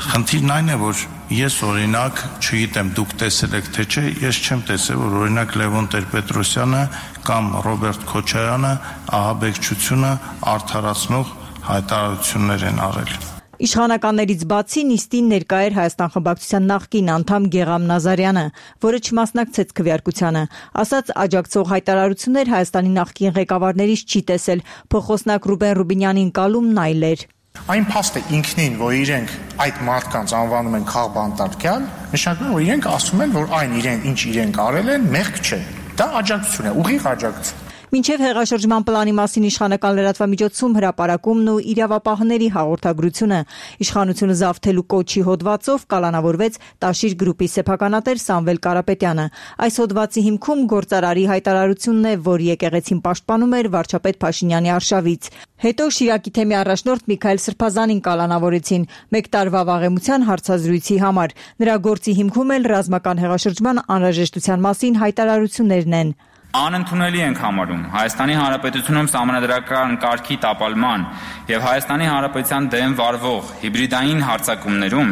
Խնդիրն այն է, որ ես օրինակ, չգիտեմ դուք տեսել եք թե չէ, ես չեմ տեսել, որ օրինակ Լևոն Տեր-Պետրոսյանը կամ Ռոբերտ Քոչարյանը ահաբեկչությունը արդարացնող հայտարարություններ են արել։ Իշխանականներից բացի նիստին ներկա էր Հայաստան խմբակցության նախկին անդամ Գեղամ Նազարյանը, որը չմասնակցեց քվեարկությանը, ասաց աջակցող հայտարարություններ Հայաստանի նախկին ղեկավարներից չի տեսել, փոխոսնակ Ռուբեն Ռուբինյանին կալումն այլ էր։ Այն փաստը ինքնին, որ իրենք այդ մարդկանց անվանում են քաղբանտարկյալ, նշանակում է, որ իրենք ասում են, որ այն իրենք ինչ իրենք արել են, մեղք չէ։ Դա աջակցություն է, ուղիղ աջակցություն։ Մինչև հեղաշրջման պլանի մասին իշխանական լրատվամիջոցում հրապարակումն ու իրավապահների հաղորդագրությունը իշխանությունը զավթելու կոչի հոդվածով կալանավորվեց Տաշիր գրուպի սեփականատեր Սամվել Կարապետյանը։ Այս հոդվածի հիմքում գործարարի հայտարարությունն է, որ եկեղեցին պաշտպանում էր վարչապետ Փաշինյանի արշավից։ Հետո Շիրակի թեմի առաջնորդ Միքայել Սրբազանին կալանավորեցին մեկ տարվա վաղեմության հարցազրույցի համար։ Նրա գործի հիմքում էլ ռազմական հեղաշրջման անհրաժեշտության մասին հայտարարություններն են։ Անընդունելի ենք համարում Հայաստանի Հանրապետությունում սահմանադրական կարգի տապալման եւ Հայաստանի Հանրապետության դեմ վարվող հիբրիդային հարձակումներում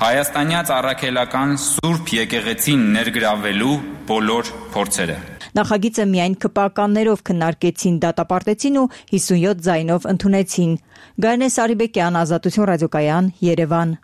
հայաստանյաց առաքելական Սուրբ եկեղեցին ներգրավելու բոլոր փորձերը։ Նախագիծը միայն ԿՊԱ-կաններով քննարկեցին, դատապարտեցին ու հիսունյոթ ձայնով ընդունեցին։ Գայանե Սարիբեկյան, Ազատություն ռադիոկայան, Երևան։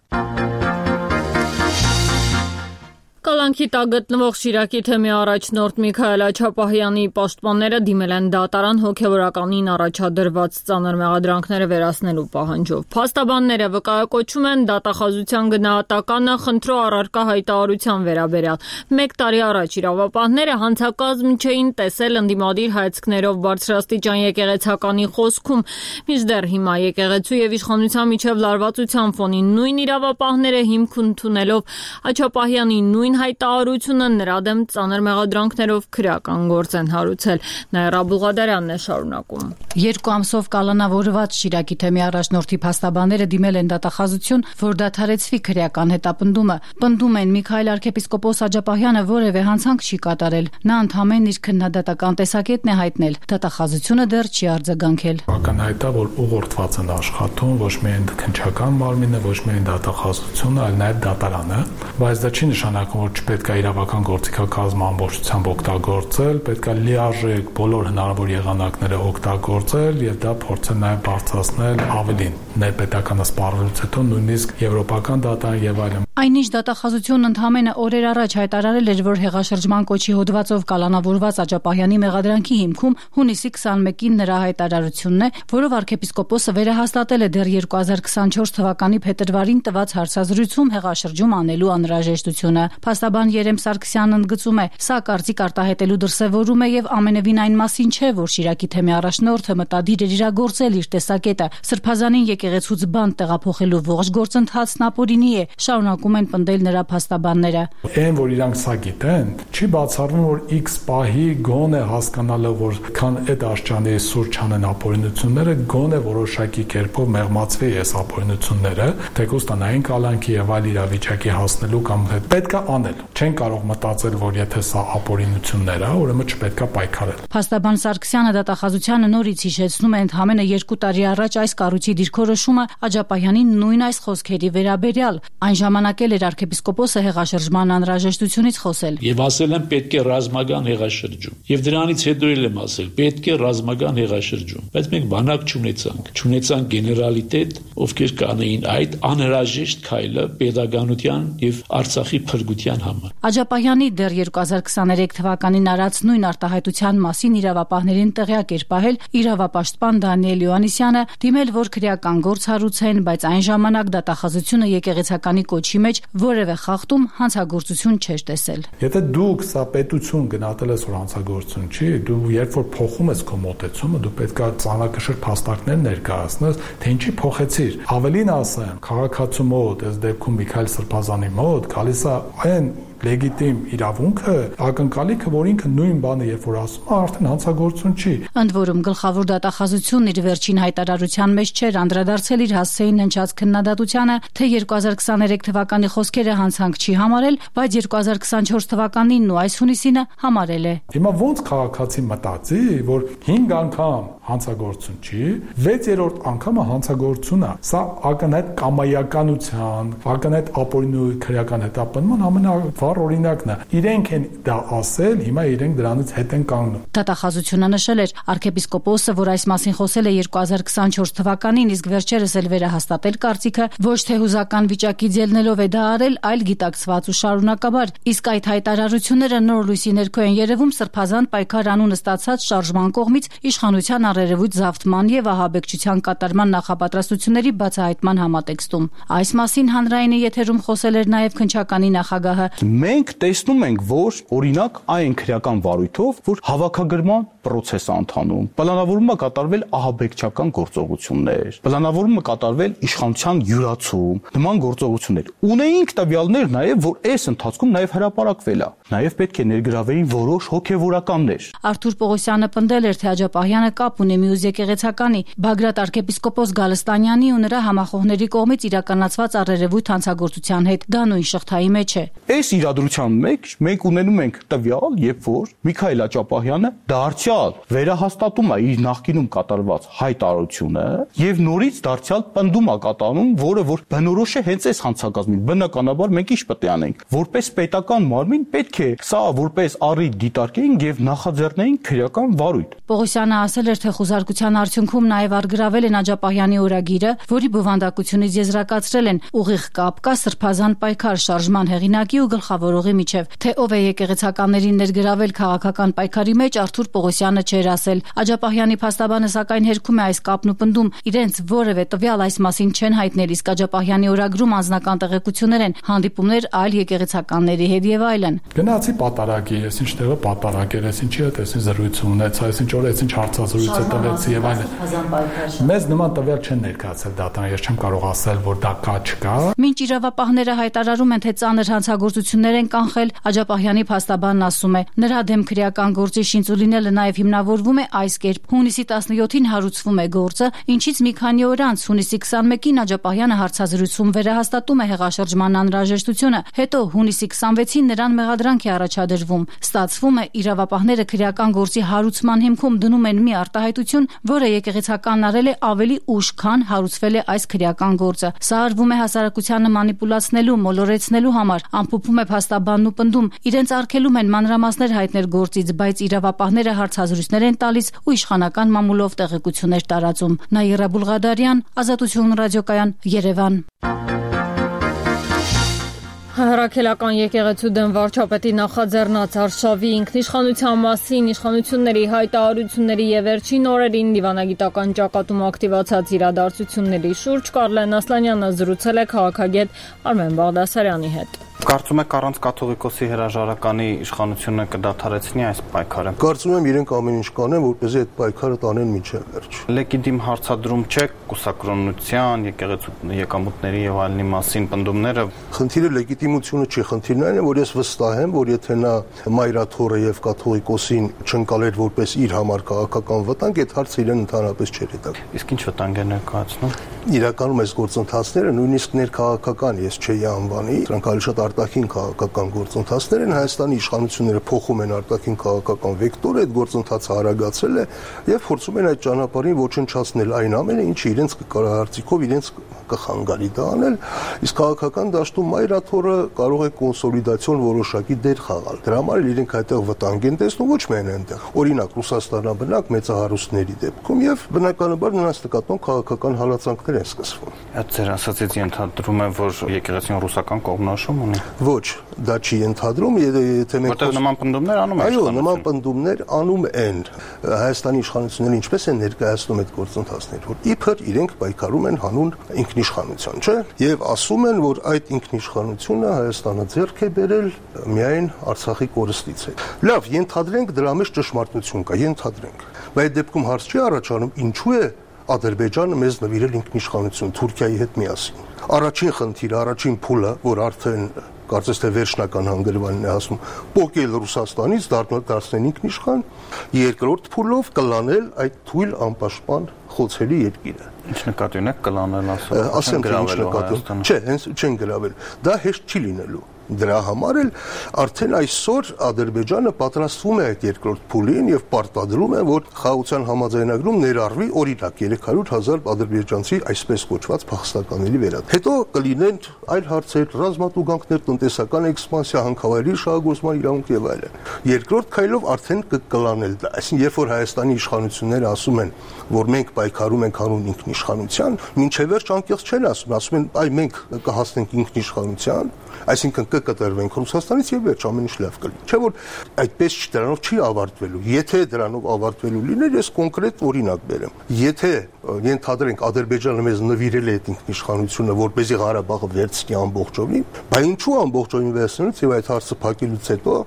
Կալանքի տակ գտնվող Շիրակի թեմի առաջնորդ Միքայել Աչապահյանի պաշտպանները դիմել են դատարան հոգևորականին առաջադրված ծանր մեղադրանքները վերացնելու պահանջով։ Փաստաբանները վկայակոչում են դատախազության գնահատականը խնդրո առարկա հայտարարության վերաբերյալ։ Մեկ տարի առաջ իրավապահները հանցակազմ չէին տեսել ընդդիմադիր հայացքներով բարձրաստիճան եկեղեցականի խոսքում, մինչդեռ հիմա եկեղեցու եւ իշխանության միջև լարվածության ֆոնին նույն իրավապահները հիմք ընդունելով Աչապահյանի նույն հայտարարությունը նրա դեմ ծանր մեղադրանքներով քրեական գործ են հարուցել։ Նաիրա Բուլղադարյանն է շարունակում։ Երկու ամսով կալանավորված Շիրակի թեմի առաջնորդի փաստաբանները դիմել են դատախազություն, որ դադարեցվի քրեական հետապնդումը։ Պնդում են Միքայել arczepiskopos Աջապահյանը որևէ հանցանք չի կատարել։ Նա ընդհանրեն իր քննադատական տեսակետն է հայտնել։ Դատախազությունը դեռ չի արձագանքել։ Ակնհայտ է, որ ուղղորդված են աշխատում ոչ միայն քննչական մարմինը, ոչ միայն դատախազությունը, այլ նաև դատարանը, բայց դա չի նշանակում, որ չպետք է իրավական գործիքակազմը ամբողջությամբ օգտագործել, պետք է լիարժեք բոլոր հնարավոր եղանակները օգտագործել եւ դա փորձել նաեւ բարձրացնել ավելին ներպետականը սպառելուց հետո նույնիսկ եվրոպական դատան եւ այլն։ Այնինչ դատախազությունն ընդհանրապես օրեր առաջ հայտարարել էր, որ հեղաշրջման կոչի հոդվածով կալանավորված Աջապահյանի մեղադրանքի հիմքում հունիսի քսաներկին նրա հայտարարությունն է, որով arczepiskopos-ը վերահաստատել է դեռ երկու հազար քսանչորս թվականի փետրվարին տված հարցազրույցում հեղաշրջում անելու անհրաժեշտությունը։ Փաստաբան Երեմ Սարգսյանն ընդգծում է, սա կարծիք արտահայտելու դրսևորում է եւ ամենևին այն մասին չէ, որ Շիրակի թեմի առաջնորդը մտադիր էր իրագործել իր տեսակետը։ Սրբազանին եկեղեցուց բանտ տեղափոխելու ողջ գործընթացն ապօրինի է, շարունակում են պնդել նրա փաստաբանները։ Այն, որ իրանք սա գիտեն, չի բացառվում, որ X պահի գոնե հասկանալը, որ քան այդ աշճանի սուր չանեն ապօրինությունները, գոնե որոշակի կերպով մեղմացվի այս ապօրինությունները, թեկուզ տնային կալանքի եւ այլ իրավիճակի հասնելու կամ պետք է անել։ Չեն կարող մտածել, որ եթե սա ապօրինություններ է, ուրեմն չպետք է պայքարել։ Փաստաբան Սարգսյանը դատախազությանը նորից հիշեցնում է ընդամենը երկու տարի առաջ այս կառույցի դիրքորոշումը Աջապահյանի նույն այս խոսքերի վերաբերյալ։ Այն ժամանակ էլ էր arczepiskopos-ը հեղաշրջման անհրաժեշտությունից խոսել։ Եվ ասել եմ պետք է ռազմական հեղաշրջում։ Եվ դրանից հետո էլ եմ ասել պետք է ռազմական հեղաշրջում։ Բայց մենք բանակ չունեցանք, չունեցանք գեներալիտետ, ովքեր կանեին այդ անհրաժեշտ քայլը պետականության եւ Արցախի փրկության համար։ Աջապահյանի դեռ երկու հազար քսաներեք թվականին արած նույն արտահայտության մասին իրավապահներին տեղյակ էր պահել իրավապաշտպան Դանիել Յոհաննիսյանը, դիմել որ քրեական գործ հարուցեն, բայց այն ժամանակ դատախազությունը եկեղեցականի կոչի մեջ որևէ խախտում հանցագործություն չէր տեսել։ Եթե դուք սա պետություն գնահատել ես որ հանցագործություն չի, դու երբ որ փոխում ես քո մոտեցումը, դու պետք է ծանրակշիռ փաստարկներ ներկայացնես, թե ինչի փոխեցիր։ Ավելին ասեմ, քաղաքացու մոտ, այս դեպքում Միքայել Սրբազանի մոտ, գալիս է այն լեգիտիմ իրավունքը, ակնկալիքը, որ ինքը նույն բանը երբ որ ասում է, արդեն հանցագործություն չի։ Ընդ որում գլխավոր դատախազությունն իր վերջին հայտարարության մեջ չէր անդրադարձել իր հասցեին հնչած քննադատությանը, թե երկու հազար քսաներեք թվականի խոսքերը հանցանք չի համարել, բայց երկու հազար քսանչորս թվականին ու այս հունիսինը համարել է։ Հիմա ոնց քաղաքացի մտածի, որ հինգ անգամ հանցագործություն չի, վեցերորդ անգամը հանցագործություն է։ Սա ակնհայտ կամայականության, ակնհայտ ապօրինի քրեական հետապնդման ամենավառ օրինակն է։ Իրենք են դա ասել, հիմա իրենք դրանից հետ են կանգնում։ Դատախազությունը նշել էր arczepiskopos-ը, որ այս մասին խոսել է երկու հազար քսանչորս թվականին, իսկ վերջերս էլ վերահաստատել կարծիքը, ոչ թե հուզական վիճակից ելնելով է դա արել, այլ գիտակցված ու շարունակաբար։ Իսկ այդ հայտարարությունները նոր լույսի ներքո են երևում Սրբազան պայքար անունը ստացած շարժման կողմից իշխանության առերևույթ զավթման եւ ահաբեկչության կատարման նախապատրաստությունների բացահայտման համատեքստում։ Այս մասին հանրայինի եթերում խոսել էր նաեւ քննչականի նախագահը։ Մենք տեսնում ենք, որ օրինակ այն քրեական վարույթով, որ հավաքագրման process է ընթանում, պլանավորումը կատարվել ահաբեկչական գործողություններ, պլանավորումը կատարվել իշխանության յուրացում, նման գործողություններ։ Ունեինք տվյալներ նաեւ, որ այս ընթացքում նաեւ հրապարակվել է։ Նաեւ պետք է ներգրավեին որոշ հոգեվորականներ։ Արթուր Պողոսյանը պնդել էր, թե Աջապահյանը կապ ունի Մյուզ եկեղեցականի Բագրատ arczepiskopos Գալստանյանի ու նրա համախոհների կողմից իրականացված առերևույթ հանցագործության հետ։ Դա նույն շղթայի մեջ է։ Այս իրադրության մեջ մենք ունենում ենք տվյալ, երբ որ Միքայել Աջապահյանը դարձյալ վերահաստատում է իր նախկինում կատարված հայտարարությունը եւ նորից դարձյալ պնդում է կատարում, որը որ բնորոշ է հենց այս հանցագազմին։ Բնականաբար մենք ինչ պետք է անենք, որպես պետական մարմին պետք է սա որպես առիթ դիտարկեինք եւ նախաձեռնեինք քրեական վարույթ։ Պողոսյանը ասել էր, թե խոզարկության արդյունքում նաև արգրավել են Աջապահյանի օրագիրը, որի բովանդակությունից եզրակացրել են ուղիղ կապ կա Սրբազան պայքար շարժման հեղինակի ու գլխավորողի միջև, թե ով է եկեղեցականներին ներգրավել քաղաքական պայքարի մեջ, Արթուր Պողոսյանը չէր ասել։ Աջապահյանի փաստաբանը սակայն հերքում է այս կապն ու պնդում, իրենց որևէ տվյալ այս մասին չեն հայտնել, իսկ Աջապահյանի օրագրում անձնական տեղեկություններ են, հանդիպումներ այլ եկեղեցականների հետ եւ այլն։ Գնացի պատարագի, ես ինչ տեղը պատարագ էր, ես ինչի հետ ես զրույց ունեցա, ես ինչ օր ես ինչ հարցազրույց է տվեցի եւ այլն։ Մեզ նման տվյալ չեն ներկայացել դատան, ես չեմ կարող ասել, որ դա կա չկա։ Մինչ իրավապահները հայտարարում են, թե ծանր հանցագործություններ են կանխել, Աջապահյանի փաստաբանն ասում է, նրա դեմ քրեական գործի շինծու լինելը նաեւ հիմնավորվում է այս կերպ. հունիսի տասնյոթին հարուցվում է գործը, ինչից մի քանի օր անց հունիսի քսանմեկին Աջապահյանը հարցազրույցում վերահաստատում է հեղաշրջման անհրաժեշտությունը, հետո հունիսի քսանվեցին նրան մեղադրանք է առաջադրվում։ Ստացվում է, իրավապահները քրեական գործի հարուցման հիմքում դնում են մի արտահայտություն, որը եկեղեցականն արել է ավելի ուշ, քան հարուցվել է այս քրեական գործը։ Սա արվում է հասարակությանը մանիպուլացնելու, մոլորեցնելու համար, ամփոփում է փաստաբանն ու պնդում, իրենց արգելում են մանրամասներ հայտնել գործից, բայց իրավապահները հարցազրույցներ են տալիս ու իշխանական մամուլով տեղեկություններ տարածում։ Նաիրա Բուլղադարյան, Ազատություն ռադիոկայան, Երևան։ Հրաքելական եկեղեցու դեմ վարչապետի նախաձեռնած արշավի ինքնիշխանության մասին իշխանությունների հայտարարությունների եւ վերջին օրերին դիվանագիտական ճակատում ակտիվացած իրադարձությունների շուրջ Կարլեն Ասլանյանը զրուցել է քաղաքագետ Արմեն Բաղդասարյանի հետ։ Կարծում եք առանց կաթողիկոսի հրաժարականի իշխանությունը կդադարեցնի այս պայքարը։ Կարծում եմ իրենք ամեն ինչ կանեն, որպեսզի այդ պայքարը տանեն մինչև վերջ։ Լեգիտիմ հարցադրում չէ կուսակրոնության, եկեղեցու եկամուտների եւ այլնի մասին պնդումները։ Խնդիրը լեգիտիմությունը չի, խնդիրն այն է, որ ես վստահ եմ, որ եթե նա մայրաթորը եւ կաթողիկոսին չընկալեր որպես իր համար քաղաքական վտանգ, այդ հարցը իրեն ընդհանրապես չէր հետաքրքրում։ Իսկ ինչ վտանգ է ներկայացնում։ իրականում այս գործընթացները նույնիսկ ներքաղաքական ես չէի անվանի, դրանք ավելի շատ արտաքին քաղաքական գործընթացներ են, Հայաստանի իշխանությունները փոխում են արտաքին քաղաքական վեկտորը, այդ գործընթացը արագացել է եւ փորձում են այդ ճանապարհին ոչնչացնել այն ամենը, ինչը իրենց կարծիքով իրենց կխանգարի դա անել, իսկ քաղաքական դաշտում մայրաթորը կարող է կոնսոլիդացիոն որոշակի դեր խաղալ։ Դրա համար իրենք այդտեղ վտանգ են տեսնում, ոչ միայն այնտեղ։ Օրինակ Ռուսաստանաբնակ մեծահարուստների դեպքում եւ բնականաբար նրանց նկատմամբ քաղաքական հալածանքներ են սկսվում։ Այդ ձեր ասածից ենթադրում եմ, որ եկեղեցին ռուսական կողմնորոշում ունի։ Ոչ, դա չի ենթադրում, եթե մենք որտեղ նման պնդումներ անում են։ Այո, նման պնդումներ անում են։ Հայաստանի իշխանությունները ինչպես են ներկայացնում այդ գործընթացները, որ իբր իրենք պայքարում են հանուն ինքնիշխանության, չէ՞։ Եվ ասում են, որ այդ ինքնիշխանությունը Հայաստանը ձեռք է բերել միայն Արցախի կորստից է։ Լավ, ենթադրենք դրա մեջ ճշմարտություն կա, ենթադրենք։ Բայց այդ դեպքում հարց չի առաջանում, ինչու է Ադրբեջանը մեզ նվիրել ինքնիշխանություն Թուրքիայի հետ միասին։ Առաջին խնդիրը, առաջին փուլը, որ արդեն կարծես թե վերջնական հանգրվանին է ասում, փոկել Ռուսաստանից դարձնել ինքնիշխան, երկրորդ փուլով կլանել այդ թույլ անպաշտպան խոցելի երկիրը։ Ինչ նկատի ունեք կլանել ասում։ Ասեմ թե ինչ նկատի։ Չէ, հենց չեն գրավել։ Դա հեշտ չի լինելու։ Դրա համար էլ արդեն այսօր Ադրբեջանը պատրաստվում է այդ երկրորդ փուլին եւ պարտադրում է, որ խաղաղության համաձայնագրում ներառվի օրինակ երեք հարյուր հազար ադրբեջանցի այսպես կոչված փախստականների վերադարձ։ Հետո կլինեն այլ հարցեր, ռազմատուգանքներ, տնտեսական էքսպանսիա, հանքավայրի շահագործման իրավունք եւ այլն։ Երկրորդ քայլով արդեն կկլանել դա։ Այսինքն, երբ որ Հայաստանի իշխանությունները ասում են, որ մենք պայքարում ենք հանուն ինքնիշխանության, մինչև վերջ անկեղծ չեն ասում, ասում են, այ մենք կհասնենք ինքնիշխանության, այսինքն կկտրվենք Ռուսաստանից եւ վերջ ամեն ինչ լավ կլինի։ Չէ՞ որ այդպես դրանով չի ավարտվելու։ Եթե դրանով ավարտվելու լիներ, ես կոնկրետ օրինակ բերեմ։ Եթե ենթադրենք Ադրբեջանը մեզ նվիրել է այդ ինքնիշխանությունը, որպեսզի Ղարաբաղը վերցնի ամբողջովին, բայց ինչու ամբողջովին վերցնելուց եւ այդ հարցը փակելուց հետո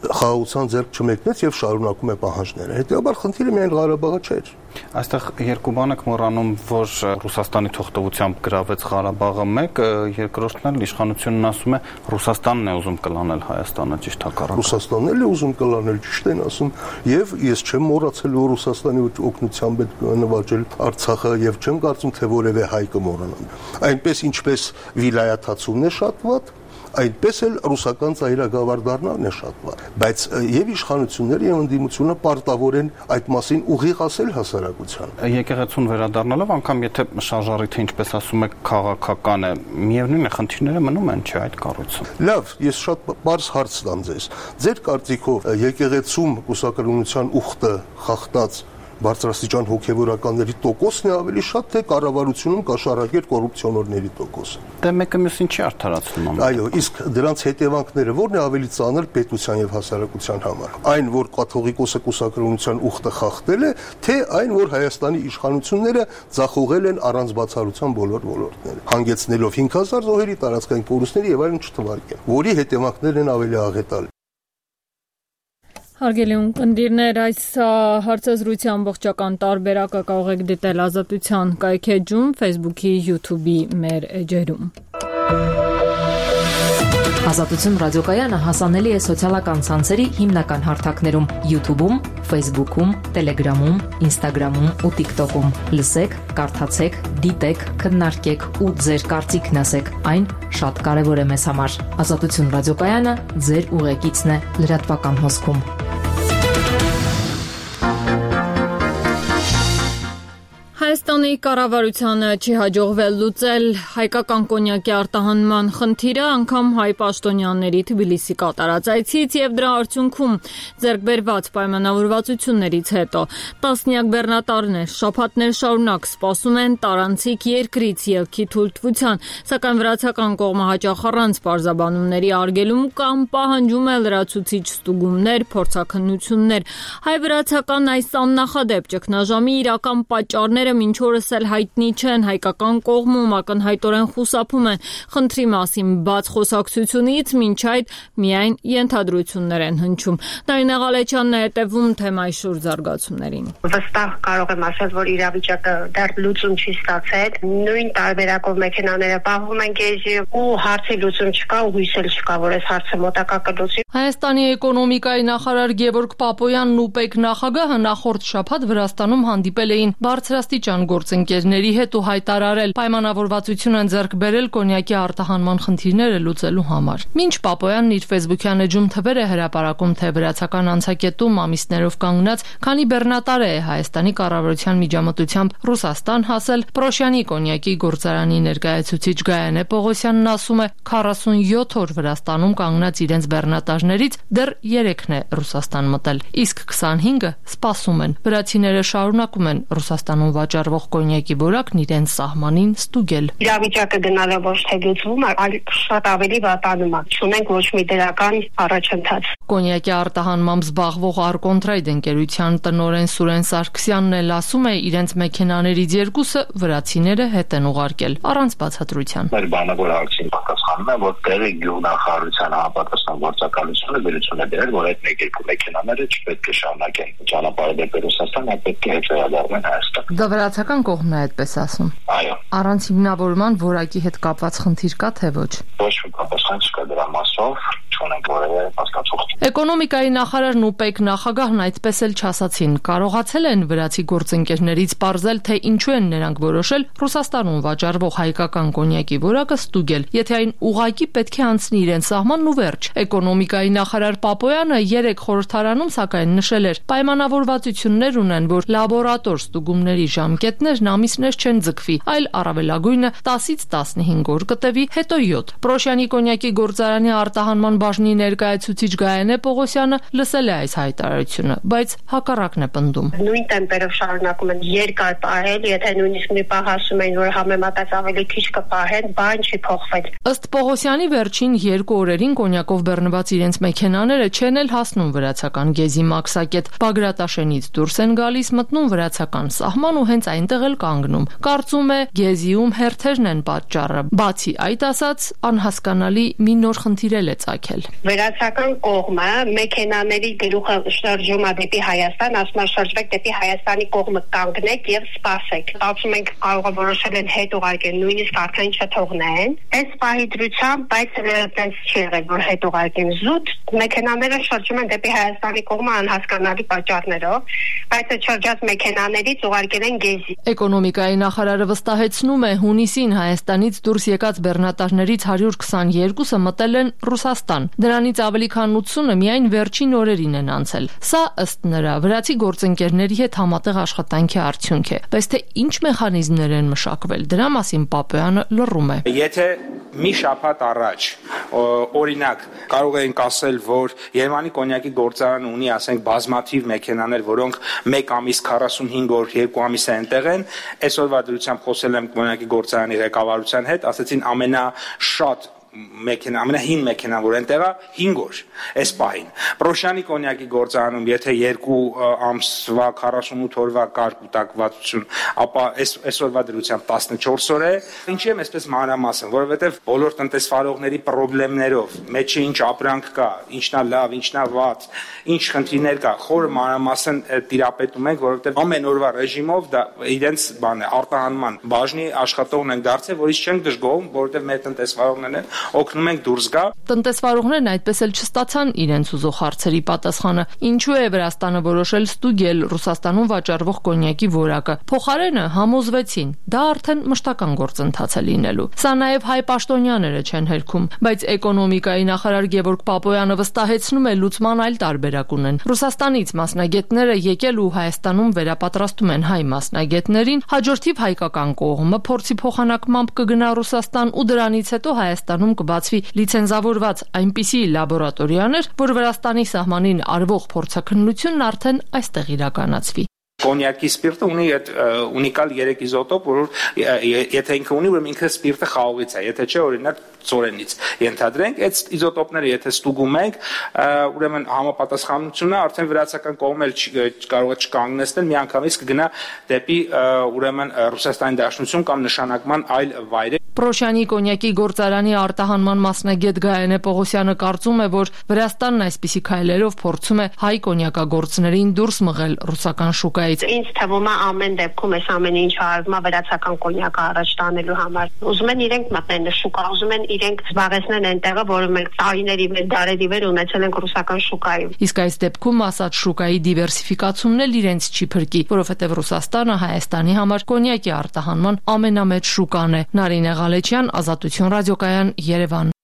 խաղաղության ձեռք չմեկնեց եւ շարունակում է պահանջները։ Հետեւաբար խնդիրը միայն Ղարաբաղը չէր։ Այստեղ երկու բան եք մոռանում, որ Ռուսաստանի թողտվությամբ գրավեց Ղարաբաղը մեկ, երկրորդն էլ իշխանությունն ասում է Ռուսաստանն է ուզում կլանել Հայաստանը, ճիշտ հակառակը։ Ռուսաստանն էլ է ուզում կլանել, ճիշտ են ասում, եւ ես չեմ մոռացել, որ Ռուսաստանի օգնությամբ է նվաճել Արցախը եւ չեմ կարծում, թե որևէ հայ կմոռանան։ Այնպես ինչպես վիլայաթացումն է շատ վատ, այնպես էլ ռուսական ծայրագավառ դառնալն է շատ վատ, բայց եւ իշխանությունները եւ ընդդիմությունը պարտավոր են այդ մասին ուղիղ ասել հասարակության։ Եկեղեցուն վերադառնալով, անգամ եթե շարժառիթը ինչպես ասում եք քաղաքական է, միևնույն է խնդիրները մնում են, չէ՞ այդ կառույցում։ Լավ, ես շատ բարձ հարց տամ ձեզ։ Ձեր կարծիքով եկեղեցում կուսակրոնության ուխտը խախտած բարձրաստիճան հոգևորականների տոկոսն է ավելի շատ, թե կառավարությունում կաշառակեր կոռուպցիոներների տոկոսը։ Դե մեկը մյուսին չի արդարացնում։ Այո, իսկ դրանց հետևանքները ո՞րն է ավելի ծանր պետության եւ հասարակության համար։ Այն, որ կաթողիկոսը կուսակրոնության ուխտը խախտել է, թե այն, որ Հայաստանի իշխանությունները ձախողել են առանց բացառության բոլոր ոլորտները, հանգեցնելով հինգ հազար զոհերի, տարածքային կորուստների եւ այլն չթվարկեն, որի հետևանքներն են ավելի աղետալի։ Հարգելի ունկնդիրներ, այս հարցազրույցի ամբողջական տարբերակը կարող եք դիտել Ազատության կայքեջում, Facebook-ի, YouTube-ի մեր էջերում։ Ազատություն ռադիոկայանը հասանելի է սոցիալական ցանցերի հիմնական հարթակներում՝ YouTube-ում, Facebook-ում, Telegram-ում, Instagram-ում ու TikTok-ում։ Լսեք, կարդացեք, դիտեք, քննարկեք ու ձեր կարծիքն ասեք։ Այն շատ կարևոր է մեզ համար։ Ազատություն ռադիոկայանը ձեր ուղեկիցն է լրատվական հոսքում։ Հայաստանի կառավարությանը չի հաջողվել լուծել հայկական կոնյակի արտահանման խնդիրը անգամ հայ պաշտոնյաների Թբիլիսի կատարած այցից եւ դրա արդյունքում ձեռք բերված պայմանավորվածություններից հետո տասնյակ բեռնատարներ շաբաթներ շարունակ սպասում են տարանցիկ երկրից ելքի թույլտվության, սակայն վրացական կողմը հաճախ առանց պարզաբանումների արգելում կամ պահանջում է լրացուցիչ ստուգումներ, փորձաքննություններ։ Հայ-վրացական այս աննախադեպ ճգնաժամի իրական պատճառները մինչ օրս էլ հայտնի չեն, հայկական կողմում ակնհայտորեն խուսափում են խնդրի մասին բաց խոսակցությունից, մինչ այդ միայն ենթադրություններ են հնչում։ Նարինե Ղալեչյանն է հետևում թեմայի շուրջ զարգացումներին։ Վստահ կարող եմ ասել, որ իրավիճակը դեռ լուծում չի ստացել։ Նույն տարբերակով մեքենաները պահվում են գեժի ու հարցի լուծում չկա ու հույս էլ չկա, որ այս հարցը մոտակա կլուծի։ Հայաստանի էկոնոմիկայի նախարար Գևորգ Պապոյանն ու ՊԵԿ նախագահը նախորդ շաբաթ Վրաստանում հանդիպել էին բարձրաստիճան գործընկերների հետ ու հայտարարել պայմանավորվածություն են ձեռք բերել կոնյակի արտահանման խնդիրները լուծելու համար։ Մինչ Պապոյանն իր Facebook-յան էջում թվեր է հրապարակում, թե վրացական անցակետում ամիսներով կանգնած, քանի բեռնատար է Հայաստանի կառավարության միջամտությամբ Ռուսաստան հասել, Պրոշյանի կոնյակի գործարանի ներկայացուցիչ Գայանե Պողոսյանն ասում է, քառասունյոթ օր Վրաստանում կանգնած իրենց բեռնատարներից դեռ երեքն է Ռուսաստան մտել, իսկ քսանհինգը սպասում են։ Վրացիները շարունակում են Ռուսաստանում վաճառվող կոնյակի որակն իրենց սահմանին ստուգել։ Իրավիճակը գնալը ոչ թե լուծվում, այլ շատ ավելի վատանում է։ Չունենք ոչ մի դրական առաջընթաց։ Կոնյակի արտահանմամբ զբաղվող Արկոնտրայդ ընկերության տնօրեն Սուրեն Սարգսյանն էլ ասում է, իրենց մեքենաներից երկուսը վրացիները հետ են ուղարկել, առանց բացատրության։ Մեր բանավոր հարցին պատասխանում է, որ տեղի գյուղնախարարության համապատասխան գործակալությունը վերություն է դրել, որ այդ մեկ-երկու մեքենաները չպետք է շարունակեն ճանապարհը դեպի Ռուսաստան, այլ պետք է հետ վերադառնան Հայաստան։ Դա վրացական կողմն է այդպես ասում։ Այո։ Առանց հիմնավորման որակի հետ կապված խնդիր կա թե ոչ։ Ոչ մի պատասխան չկա դրա մասով, չունենք որևէ հասկացող։ Էկոնոմիկայի նախարարն ու ՊԵԿ նախագահն այդպես էլ չասացին։ Կարողացել են վրացի գործընկերներից պարզել, թե ինչու են նրանք որոշել Ռուսաստանում վաճառվող հայկական կոնյակի որակը ստուգել, եթե այն ուղղակի պետք է անցնի իրենց սահմանն ու վերջ։ Էկոնոմիկայի նախարար Պապոյանը երեք խորհրդարանում սակայն նշել էր, պայմանավորվածություններ ունեն, որ լաբորատոր ստուգումների ժամկետներն ամիսներ չեն ձգվի, այլ առավելագույնը տասից տասնհինգ օր կտևի, հետո յոթ։ Պրոշյանի կոնյակի գործարանի արտահանման բաժնի ներկայացուցիչ Գայանե Պողոսյանը լսել է այս հայտարարությունը, բայց հակառակն է պնդում։ Նույն տեմպերով շարունակում են երկար պահել, եթե նույնիսկ մի պահ ասում են, որ համեմատած ավելի քիչ կպահեն, բան չի փոխվել։ Ըստ Պողոսյանի վերջին երկու օրերին կոնյակով բեռնված իրենց մեքենաները չեն էլ հասնում վրացական գեզի մաքսակետ։ Բագրատաշենից դուրս են գալիս, մտնում վրացական սահման ու հենց այնտեղ էլ կանգնում։ Կարծում է, գեզիում հերթերն են պատճառը։ Բացի այդ ասած, անհասկանալի մի նոր խնդիր է ծագել։ Վրացական կողմը մեքենաների գլուխը շարժում է դեպի Հայաստան, ասում է շարժվեք դեպի Հայաստանի կողմը կանգնեք եւ սպասեք։ Ասում ենք կարող է որոշել են հետ ուղարկեն, նույնիսկ արդեն չթողնեն։ Այս պահի դրությամբ, բայց այդպես չի եղել, որ հետ ուղարկեն զուտ, մեքենաները շարժում են դեպի Հայաստանի կողմը անհասկանալի պատճառներով, բայց այդ շրջած մեքենաներից ուղարկել են գեզի։ Էկոնոմիկայի նախարարը վստահեցնում է, հունիսին Հայաստանից դուրս եկած բեռնատարներից հարյուր քսաներկուսը մտել են Ռուսաստան։ Դրանից ավելի քան ութսունը միայն վերջին օրերին են անցել։ Սա ըստ նրա վրացի գործընկերների հետ համատեղ աշխատանքի արդյունք է։ Բայց թե ինչ մեխանիզմներ են մշակվել, դրա մասին Պապոյանը լռում է։ Եթե մի շաբաթ առաջ օրինակ կարող ենք ասել, որ Երևանի կոնյակի գործարանը ունի, ասենք, բազմաթիվ մեքենաներ, որոնք մեկ ամիս քառասունհինգ օր, երկու ամիս է այնտեղ են, այսօրվա դրությամբ խոսել եմ կոնյակի գործարանի ղեկավարության հետ, ասեցին ամենաշատ մեքենա, ամենահին մեքենան, որ այնտեղ է, հինգ օր, այս պահին։ Պրոշյանի կոնյակի գործարանում, եթե երկու ամսվա քառասունութ օրվա կար կուտակվածություն, ապա այսօրվա դրությամբ տասնչորս օր է։ Ինչի եմ այսպես մանրամասն, որովհետև բոլոր տնտեսվարողների խնդիրներով, մեջը ինչ ապրանք կա, ինչն է լավ, ինչն է վատ, ինչ խնդիրներ կա, խորը մանրամասն տիրապետում ենք, որովհետև ամեն օրվա ռեժիմով դա իրենց բան է, արտահանման բաժնի աշխատողն են դարձել, որից չենք դժգոհում, որովհետև մեր տնտեսվարողներն են օգնում ենք դուրս գա։ Տնտեսվարողներն այդպես էլ չստացան իրենց ուզող հարցերի պատասխանը։ Ինչու է Վրաստանը որոշել ստուգել Ռուսաստանում վաճառվող կոնյակի որակը։ Փոխարենը համոզվեցին, դա արդեն մշտական գործընթաց է լինելու։ Սա նաև հայ պաշտոնյաները չեն հերքում, բայց էկոնոմիկայի նախարար Գևորգ Պապոյանը վստահեցնում է, լուծման այլ տարբերակ ունեն։ Ռուսաստանից մասնագետները եկել ու Հայաստանում վերապատրաստում են հայ մասնագետներին, հաջորդիվ հայկական կողմը փորձի փոխանակմամբ կգնա Ռուսաստան ու դրանից հետո Հայաստանում կբացվի լիցենզավորված այնպիսի լաբորատորիաներ, որ Վրաստանի սահմանին արվող փորձաքննությունն արդեն այստեղ իրականացվի։ Կոնյակի սպիրտը ունի այդ ունիկալ երեք իզոտոպ, որ եթե ինքը ունի, ուրեմն ինքը սպիրտը խաղողից է, եթե չէ, օրինակ ծորենից ենթադրենք, այդ իզոտոպները եթե ստուգում ենք, ուրեմն համապատասխանությունը արդեն վրացական կողմը կարող է չկանգնեցնել, միանգամից կգնա դեպի ուրեմն Ռուսաստանի Դաշնություն կամ նշանակման այլ վայրեր։ Պրոշյանի կոնյակի գործարանի արտահանման մասնագետ Գայանե Պողոսյանը կարծում է, որ Վրաստանն այսպիսի քայլերով փորձում է հայ կոնյակագործներին դուրս մղել ռուսական շուկայից։ Ինձ թվում է ամեն դեպքում այս ամեն ինչը արվում է վրացական կոնյակը առաջ տանելու համար։ Ուզում են իրենք մտնեն շուկա, ուզում են իրենք զբաղեցնեն այն տեղը, որը մենք տարիների վեր, դարերի վեր ունեցել ենք ռուսական շուկայում։ Իսկ այս դեպքում ասած շուկայի դիվերսիֆիկացումն էլ իրենց չի փրկի, որովհետև Ռուսաստանը Հայաստանի համար կոնյակի արտահանման ամենամեծ շուկան է։ Նարինե Ղալեչյան, Ազատություն ռադիոկայան, Երևան։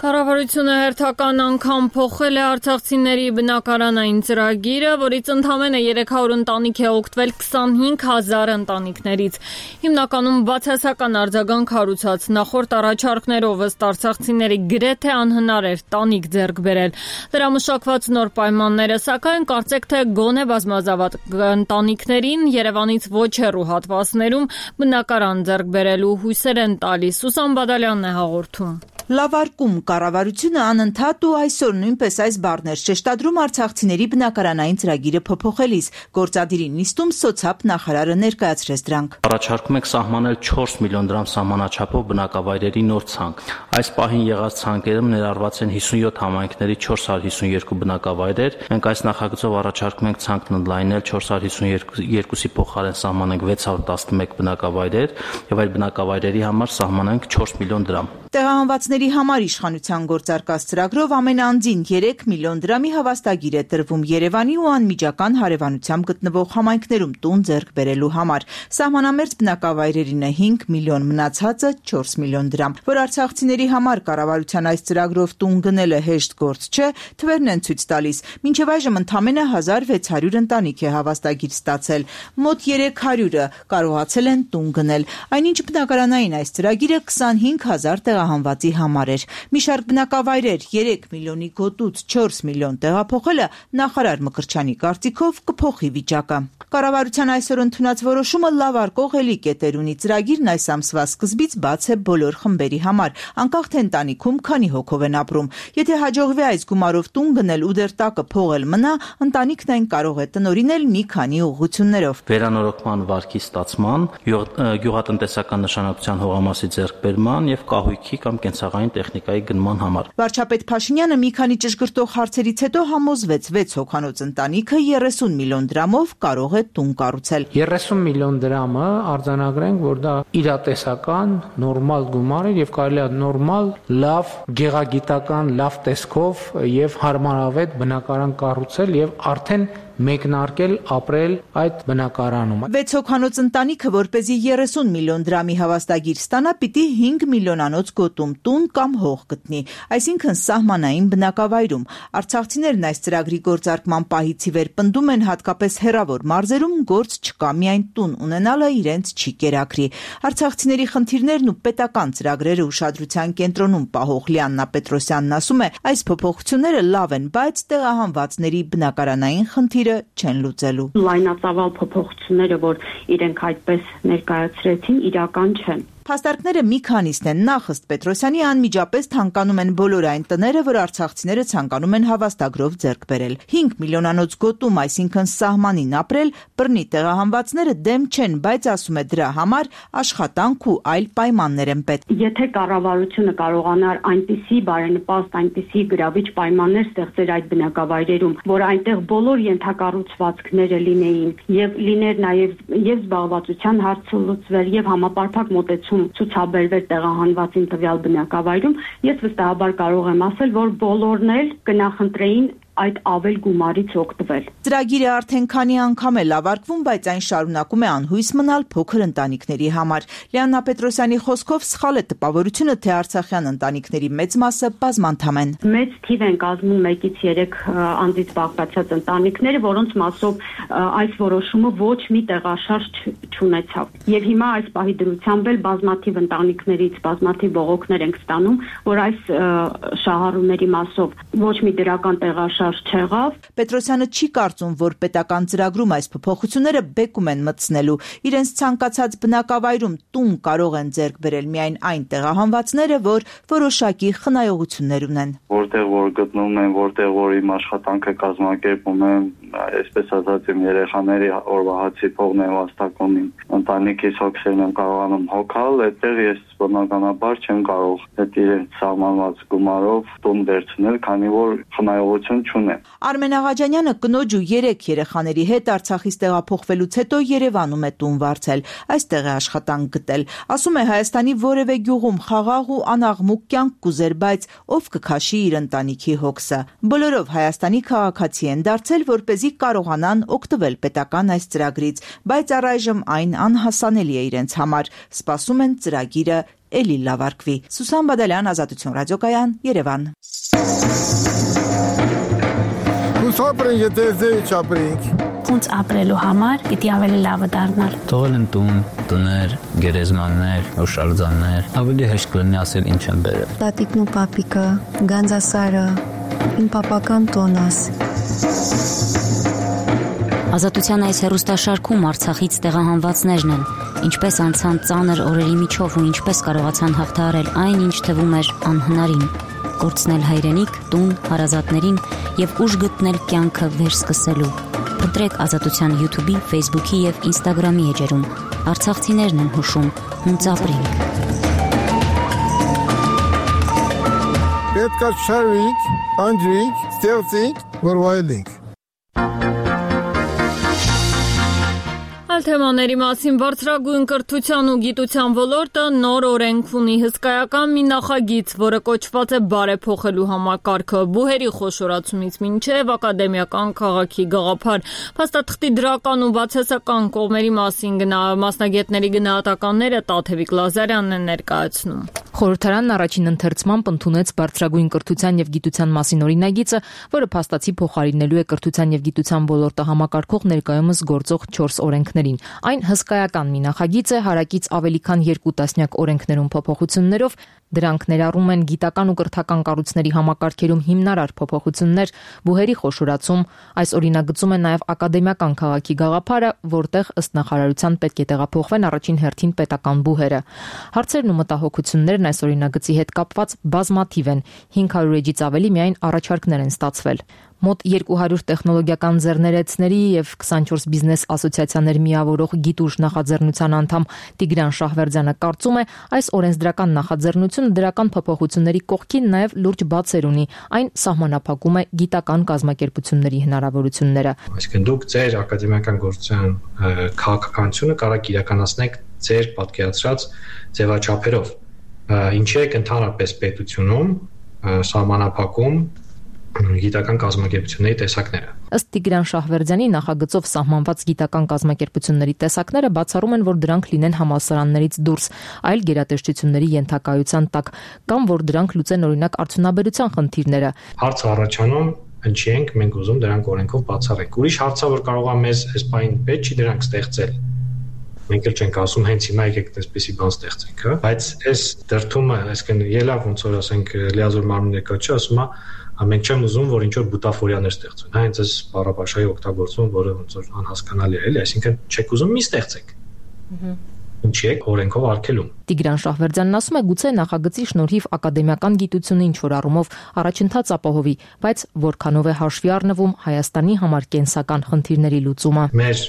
Կառավարությունը հերթական անգամ փոխել է արցախցիների բնակարանային ծրագիրը, որից ընդամենը երեք հարյուր ընտանիք է օգտվել քսանհինգ հազար ընտանիքներից։ Հիմնականում բացասական արձագանք հարուցած նախորդ առաջարկներով ըստ արցախցիների գրեթե անհնար էր տանիք ձեռք բերել։ Դրա մշակված նոր պայմանները, սակայն կարծեք թե գոնե բազմազավակ ընտանիքներին Երևանից ոչ հեռու հատվածներում բնակարան ձեռք բերելու հույսեր են տալիս։ Սուսան Բադալյանն է հաղորդում։ Լավարկում կառավարությունը անընդհատ ու այսօր նույնպես այս բառներ շեշտադրում արցախցիների բնակարանային ծրագիրը փոփոխելիս, գործադիրի նիստում սոցիալ նախարարը ներկայացրեց դրանք։ Առաջարկում ենք սահմանել չորս միլիոն դրամ սահմանաչափով բնակավայրերի նոր ցանկ։ Այս պահին եղած ցանկերում ներառված են հիսունյոթ համայնքների չորս հարյուր հիսունյոթ բնակավայրեր։ Մենք այս նախագծով առաջարկում ենք ցանկն ընդլայնել չորս հարյուր հիսունյոթի փոխարեն սահմանենք վեց հարյուր տասնմեկ բնակավայրեր եւ այդ բնակավայրերի համար սահմանենք չորս միլիոն դրամ։ Տեղահանվածների համար իշխանության գործարկած ծրագրով ամեն անձին երեք միլիոն դրամի հավաստագիր է տրվում Երևանի ու անմիջական հարևանությամբ գտնվող համայնքներում տուն ձեռք բերելու համար։ Սահմանամերձ բնակավայրերին է հինգ միլիոն, մնացածը չորս միլիոն դրամ։ Որ արցախցիների համար կառավարության այս ծրագրով տուն գնելը հեշտ գործ չէ, թվերն են ցույց տալիս։ Մինչև այժմ ընդամենը հազար վեց հարյուր ընտանիք է հավաստագիր ստացել։ Մոտ երեք հարյուրը կարողացել են տուն գնել։ Այնինչ բնակարանային այս ծրագիրը քսանհինգ հազար տեղահանվածի համար էր։ Մի շարք բնակավայրեր երեք միլիոնի գոտուց չորս միլիոն տեղափոխելը նախարար Մկրտչյանի կարծիքով կփոխի վիճակը։ Կառավարության այսօր ընդունած որոշումը լավարկող էլի կետեր ունի։ Ծրագիրն այս ամսվա սկզբից բաց է բոլոր խմբերի համար, անկախ թե ընտանիքում քանի հոգով են ապրում։ Եթե հաջողվի այս գումարով տուն գնել ու դեռ տակը փողել մնա, ընտանիքն այն կարող է տնօրինել մի քանի ուղղություններով։ Վերանորոգման վարկի ստացման, գյուղատնտեսական նշանակության հողամասի ձեռքբերման եւ կահույքի կամ կենցաղային տեխնիկայի գնման համար։ Վարչապետ Փաշինյանը մի քանի ճշգրտող հարցերից հետո համոզվեց վեց հոգանոց ընտանիքը երեսուն միլիոն դրամով կարող է տուն կառուցել։ երեսուն միլիոն դրամը արձանագրենք, որ դա իրատեսական նորմալ գումար է եւ կարելի է նորմալ, լավ, գեղագիտական, լավ տեսքով եւ հարմարավետ բնակարան կառուցել եւ արդեն մեկնարկել ապրել այդ բնակարանում։ վեց հոգանոց ընտանիքը, որպեսզի երեսուն միլիոն դրամի հավաստագիր ստանա, պիտի հինգ միլիոնանոց գոտում տուն կամ հող գտնի, այսինքն սահմանային բնակավայրում։ Արցախցիներն այս ծրագրի գործարկման պահից ի վեր պնդում են, հատկապես հեռավոր մարզերում գործ չկա, միայն տուն ունենալը իրենց չի կերակրի։ Արցախցիների խնդիրներն ու պետական ծրագրերը ուշադրության կենտրոնում պահող Լիաննա Պետրոսյանն ասում է, այս փոփոխությունները լավ են, բայց տեղահանվածների բնակարանային խնդիրը չեն լուծելու։ Լայնածավալ փոփոխությունները, որ իրենք այդպես ներկայացրեցին, իրական չեն։ Փաստարկները մի քանիսն են։ Նախ ըստ Պետրոսյանի անմիջապես թանկանում են բոլոր այն տները, որ արցախցիները ցանկանում են հավաստագրով ձեռք բերել։ հինգ միլիոնանոց գոտում, այսինքն սահմանին ապրել, բռնի տեղահանվածները դեմ չեն, բայց ասում է դրա համար աշխատանք ու այլ պայմաններ են պետք։ Եթե կառավարությունը կարողանար այնպիսի բարենպաստ, այնպիսի գրավիչ պայմաններ ստեղծել այդ բնակավայրերում, որ այնտեղ բոլոր ենթակառուցվածքները լինեին եւ լիներ նաեւ եւ զբաղվածության հարցը լուծվեր եւ համապարփակ մոտեցում ցուցաբերվեր տեղահանվածին տվյալ բնակավայրում, ես վստահաբար կարող եմ ասել, որ բոլորն էլ կնախընտրեին այդ ավել գումարից օգտվել։ Ծրագիրը արդեն քանի անգամ է լավարկվում, բայց այն շարունակում է անհույս մնալ փոքր ընտանիքների համար։ Լիաննա Պետրոսյանի խոսքով սխալ է տպավորությունը, թե արցախյան ընտանիքների մեծ մասը բազմանդամ են։ Մեծ թիվ են կազմում մեկից երեք անձից բաղկացած ընտանիքները, որոնց մասով այս որոշումը ոչ մի տեղաշարժ չունեցավ։ Եվ հիմա այս պահի դրությամբ էլ բազմաթիվ ընտանիքներից բազմաթիվ բողոքներ ենք ստանում, որ այս շահառուների մասով ոչ մի դրական տեղաշարժ անշարժ չեղավ։ Պետրոսյանը չի կարծում, որ պետական ծրագրում այս փոփոխությունները բեկում են մտցնելու։ Իրենց ցանկացած բնակավայրում տուն կարող են ձեռք բերել միայն այն տեղահանվածները, որ որոշակի խնայողություններ ունեն։ Որտեղ որ գտնվում են, որտեղ որ իմ աշխատանքը կազմակերպում եմ, այսպես ասած իմ երեխաների օրվա հացի փողն եմ վաստակում, ընտանիքիս հոգսերն եմ կարողանում հոգալ, այդտեղ ես բնականաբար չեմ կարող այդ իրենց սահմանված գումարով տուն վերցնել, քանի որ խնայողություն չունեմ։ Արմեն Աղաջանյանը կնոջ ու երեք երեխաների հետ Արցախից տեղափոխվելուց հետո Երևանում է տուն վարձել, այստեղ է աշխատանք գտել։ Ասում է Հայաստանի որևէ գյուղում խաղաղ ու անաղմուկ կյանք կուզեր, բայց ով կքաշի իր ընտանիքի հոգսը։ Բոլորով Հայաստանի քաղաքացի են դարձել, որպեսզի կարողանան օգտվել պետական այս ծրագրից, բայց առայժմ այն անհասանելի է իրենց համար։ Սպասում են ծրագիրը էլի լավարկվի։ Սուսան Բադալյան, Ազատություն ռադիոկայան, Երևան։ Ուսապրեն եթե ձեի չապրենք։ Ոնց ապրելու համար պիտի ավելի լավը դառնալ։ Թողել են տուն, տներ, գերեզմաններ, հուշարձաններ, ավելի հեշտ կլինի ասել ինչ են բերել։ Տատիկն ու պապիկը, Գանձասարը, իմ պապական տոնաս։ Ազատության այս հեռուստաշարքում Արցախից տեղահանվածներն են, ինչպես անցան ծանր օրերի միջով ու ինչպես կարողացան հաղթահարել այն, ինչ թվում էր անհնարին, կորցնել հայրենիք, տուն, հարազատներին եւ ուժ գտնել կյանքը վերսկսելու։ Ընտրեք Ազատության YouTube-ի, Facebook-ի եւ Instagram-ի էջերում։ Արցախցիներն են հուշում, հունց ապրենք։ Պետք է շարվենք, անջրենք, ստեղծենք, որ վայելենք։ Այլ թեմաների մասին բարձրագույն կրթության ու գիտության ոլորտը նոր օրենք ունի հսկայական մի նախագիծ, որը կոչված է բարեփոխելու համակարգը, բուհերի խոշորացումից մինչև ակադեմիական քաղաքի գաղափար։ Փաստաթղթի դրական ու բացասական կողմերի մասին գնա մասնագետների գնահատականները Տաթևիկ Լազարյանն է ներկայացնում։ Խորհրդարանն առաջին ընթերցմամբ ընդունեց բարձրագույն կրթության եւ գիտության մասին օրինագիծը, որը փաստացի փոխարինելու է կրթության եւ գիտության ոլորտը համակարգող ներկայումս գործող չորս օրենքներին։ Այն հսկայական մի նախագիծ է, հարակից ավելի քան երկու տասնյակ օրենքներում փոփոխություններով։ Դրանք ներառում են գիտական ու կրթական կառույցների համակարգերում հիմնարար փոփոխություններ, բուհերի խոշորացում, այս օրինագծում է նաև ակադեմիական քաղաքի գաղափարը, որտեղ ըստ նախարարության պետք է տեղափոխվեն առաջին հերթին պետական բուհերը։ Հարցերն ու մտահոգություններն այս օրինագծի հետ կապված բազմաթիվ են, հինգ հարյուր էջից ավելի միայն առաջարկներ են ստացվել։ Մոտ երկու հարյուր տեխնոլոգիական ձեռներեցների եւ քսանչորս բիզնես ասոցիացիաներ միավորող գիտուժ նախաձեռնության անդամ Տիգրան Շահվերդյանը կարծում է, այս օրենսդրական նախաձեռնությունը դրական փոփոխությունների կողքին նաեւ լուրջ բացեր ունի, այն սահմանափակում է գիտական կազմակերպությունների հնարավորությունները։ Այսինքն դուք ձեր ակադեմիական գործության քաղաքականությունը կարող իրականացնեք ձեր պատկերացրած ձևաչափերով, ինչի է ընդհանրապես պետությունում սահմանափակում գիտական կազմակերպությունների տեսակները։ Ըստ Տիգրան Շահվերդյանի նախագծով սահմանված գիտական կազմակերպությունների տեսակները բացառում են, որ դրանք լինեն համալսարաններից դուրս, այլ գերատեսչությունների ենթակայության տակ, կամ որ դրանք լուծեն օրինակ արդյունաբերության խնդիրները։ Հարցը առաջանում, ինչի ենք մենք ուզում դրանք օրենքով բացառենք։ Ուրիշ հարցը, որ կարող է մեզ այս բային պետք չի դրանք ստեղծել։ Մենք էլ չենք ասում հենց հիմա եկեք այսպեսի բան ստեղծենք, հա, բայց այս դրդումը, այսինքն ելավ ոնց որ ասենք լիազոր մարմինը կոչի, ասում է մենք չեմ ուզում, որ ինչ որ բուտաֆորիաներ ստեղծվեն, հա, հենց այս բառապաշարի օգտագործում, որը ոնց որ անհասկանալի է, էլի, այսինքն չեք ուզում մի ստեղծեք։ Ինչի եք օրենքով արգելում։ Տիգրան Շահվերդյանն ասում է, գուցե նախագծի շնորհիվ ակադեմիական գիտությունը ինչ որ առումով առաջընթաց ապահովի, բայց որքանով է հաշվի առնվում Հայաստանի համար կենսական խնդիրների լուծումը։ Մեր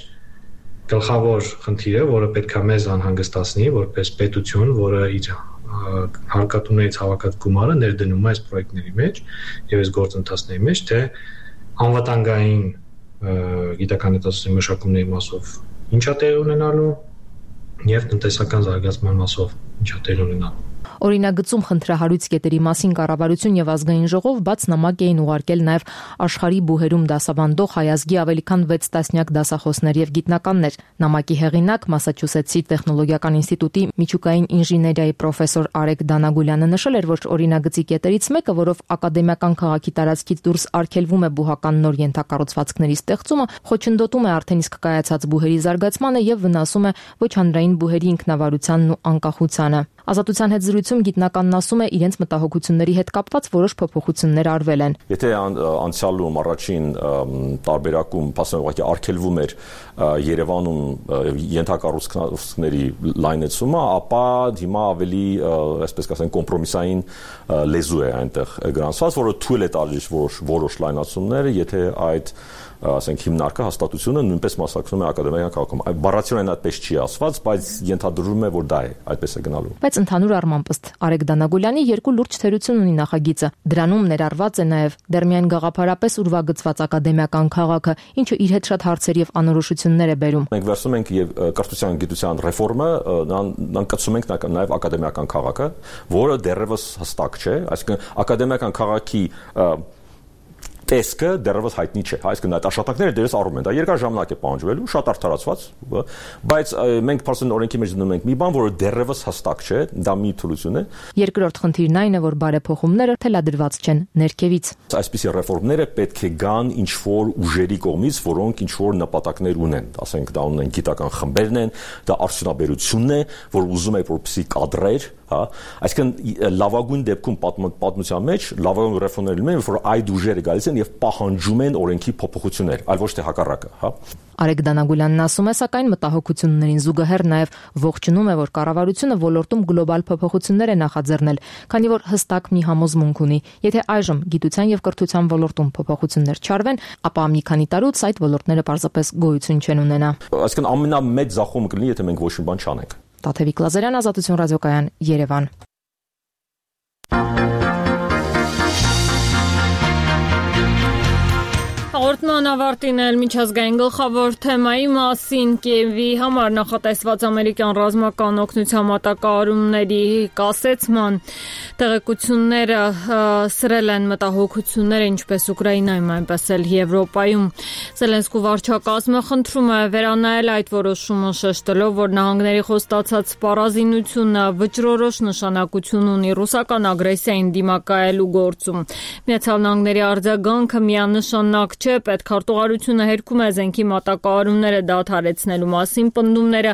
գլխավոր խնդիրը, որը պետք է մեզ անհանգստացնի, որպես պետություն, որը իր հարկատուներից հավաքած գումարը ներդնում է այս պրոյեկտների մեջ եւ այս գործընթացների մեջ, թե անվտանգային գիտական հետազոտությունների մշակումների մասով ինչա տեղ ունենալու եւ տնտեսական զարգացման մասով ինչա տեղ ունենալու։ Օրինագծում խնդրահարույց կետերի մասին կառավարություն եւ ազգային ժողով բաց նամակ էին ուղարկել նաեւ աշխարհի բուհերում դասավանդող հայազգի ավելի քան վեց տասնյակ դասախոսներ եւ գիտնականներ։ Նամակի հեղինակ Մասաչուսեթսի տեխնոլոգիական ինստիտուտի միջուկային ինժեներիայի պրոֆեսոր Արեգ Դանագուլյանը նշել էր, որ օրինագծի կետերից մեկը, որով ակադեմիական քաղաքի տարածքից դուրս արգելվում է բուհական նոր ենթակառուցվածքների ստեղծումը, խոչընդոտում է արդեն իսկ կայացած բուհերի զարգացմանը եւ վնասում է ոչ հանրային բուհերի ինքնավարությանն ու անկախությանը։ Ազատության հետ զրույցում գիտնականն ասում է, իրենց մտահոգությունների հետ կապված որոշ փոփոխություններ արվել են։ Եթե անցյալում առաջին տարբերակում փաստորեն արգելվում էր Երևանում ենթակառուցվածքների լայնացումը, ապա հիմա ավելի, այսպես կասենք, կոմպրոմիսային լեզու է այնտեղ գրանցված, որը թույլ է տալիս որոշ լայնացումներ, եթե այդ ասենք հիմնարկը հաստատությունը նույնպես մասնակցում է ակադեմիական քաղաքում։ Բառացիորեն այդպես չի ասված, բայց ենթադրվում է, որ դա է, այդպես է գնալու։ Բայց ընդհանուր առմամբ ըստ Արեգ Դանագուլյանի երկու լուրջ թերություն ունի նախագիծը։ Դրանում ներառված է նաև դեռ միայն գաղափարապես ուրվագծված ակադեմիական քաղաքը, ինչը իր հետ շատ հարցեր եւ անորոշություններ է բերում։ Մենք վերցնում ենք եւ կրթության գիտության ռեֆորմը, նանկացում ենք նաև ակադեմիական քաղաքը, որը դեռևս հստակ չէ, այսինքն ակադեմիական քաղաքի տեսքը դեռևս հայտնի չէ, այսինքն այդ աշխատանքները դեռևս առում են, դա երկար ժամանակ է պահանջվելու, շատ արդարացված, բայց մենք փաստորեն օրենքի մեջ դնում ենք մի բան, որը դեռևս հստակ չէ, դա մի թուլություն է։ Երկրորդ խնդիրն այն է, որ բարեփոխումները թելադրված չեն ներքևից։ Այսպիսի ռեֆորմները պետք է գան ինչ-որ ուժերի կողմից, որոնք ինչ-որ նպատակներ ունեն, ասենք դա ունեն գիտական խմբերն են, դա արդյունաբերությունն է, որ ուզում է որպեսզի կադրեր, հա, այսինքն լավագույն դեպքում պատմության մեջ լավագույն ռեֆորմները լինում են, որ այդ ուժերը գալիս են եւ պահանջում են օրենքի փոփոխություններ, այլ ոչ թե հակառակը, հա։ Արեգ Դանագուլյանն ասում է, սակայն մտահոգություններին զուգահեռ նաև ողջունում է, որ կառավարությունը ոլորտում գլոբալ փոփոխություններ է նախաձեռնել, քանի որ հստակ մի համոզմունք ունի. եթե այժմ գիտության եւ կրթության ոլորտում փոփոխություններ չարվեն, ապա մի քանի տարուց այդ ոլորտները պարզապես գոյություն չեն ունենա։ Այսինքն ամենամեծ ձախողումը կլինի, եթե մենք ոչ մի բան չանենք։ Տաթևիկ Լազարյան, Ազատություն ռադիոկայան, Երևան։ Հաղորդման ավարտին էլ միջազգային գլխավոր թեմայի մասին Կիևի համար նախատեսված ամերիկյան ռազմական օգնության մատակարարումների կասեցման տեղեկությունները սրել են մտահոգությունները ինչպես Ուկրաինայում, այնպես էլ Եվրոպայում։ Զելենսկու վարչակազմը խնդրում է վերանայել այդ որոշումը, շեշտելով, որ նահանգների խոստացած սպառազինությունը վճռորոշ նշանակություն ունի ռուսական ագրեսիային դիմակայելու գործում։ Միացյալ Նահանգների արձագանքը միանշանակ չէ, պետքարտուղարությունը հերքում է զենքի մատակարարումները դադարեցնելու մասին պնդումները։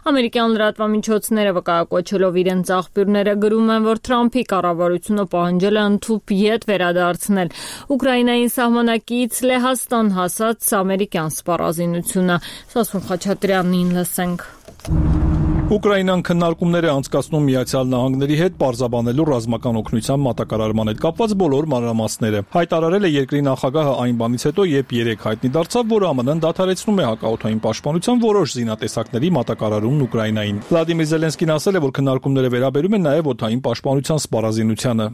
Ամերիկյան լրատվամիջոցները վկայակոչելով իրենց աղբյուրները գրում են, որ Թրամփի կառավարությունը պահանջել է ընդհուպ ետ վերադարձնել Ուկրաինային սահմանակից Լեհաստան հասած ամերիկյան սպառազինությունը։ Սասուն Խաչատրյանին լսենք։ Ուկրաինան քննարկումներ է անցկացնում Միացյալ Նահանգների հետ պարզաբանելու ռազմական օգնության մատակարարման հետ կապված բոլոր մանրամասները։ Հայտարարել է երկրի նախագահը այն բանից հետո, երբ երեք հայտնի դարձավ, որ ԱՄՆ-ն դադարեցնում է հակաօդային պաշտպանության որոշ զինատեսակների մատակարարումն Ուկրաինային։ Վլադիմիր Զելենսկին ասել է, որ քննարկումները վերաբերում են նաև օդային պաշտպանության սպառազինությանը։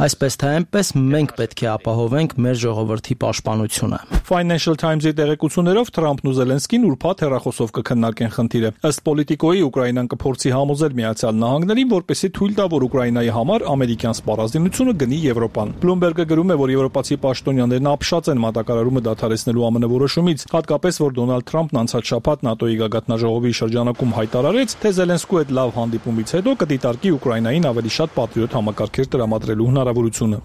Այսպես թե այնպես մենք պետք է ապահովենք մեր ժողովրդի պաշտպանությունը։ Financial Times-ի տեղեկություններով Թրամփն ու Զելենսկին ուրբաթ հեռախոսով կքննարկեն խնդիրը։ Ըստ Պոլիտիկոյի Ուկրաինան կփորձի համոզել Միացյալ Նահանգներին, որպեսզի թույլ տա, որ Ուկրաինայի համար ամերիկյան սպառազինությունը գնի Եվրոպան։ Bloomberg-ը գրում է, որ եվրոպացի պաշտոնյաներն ապշած են մատակարարումը դադարեցնելու ԱՄՆ որոշումից, հատկապես որ Դոնալդ Թրամփն անցած շաբաթ ՆԱՏՕ-ի գագաթնաժողովի շրջանակում հայտարարեց, թե Զելենսկու հետ լավ հանդիպումից հետո կդիտարկի Ուկրաինային ավելի շատ պատրիոտ համակարգեր տրամադրելու հնարավորությունը։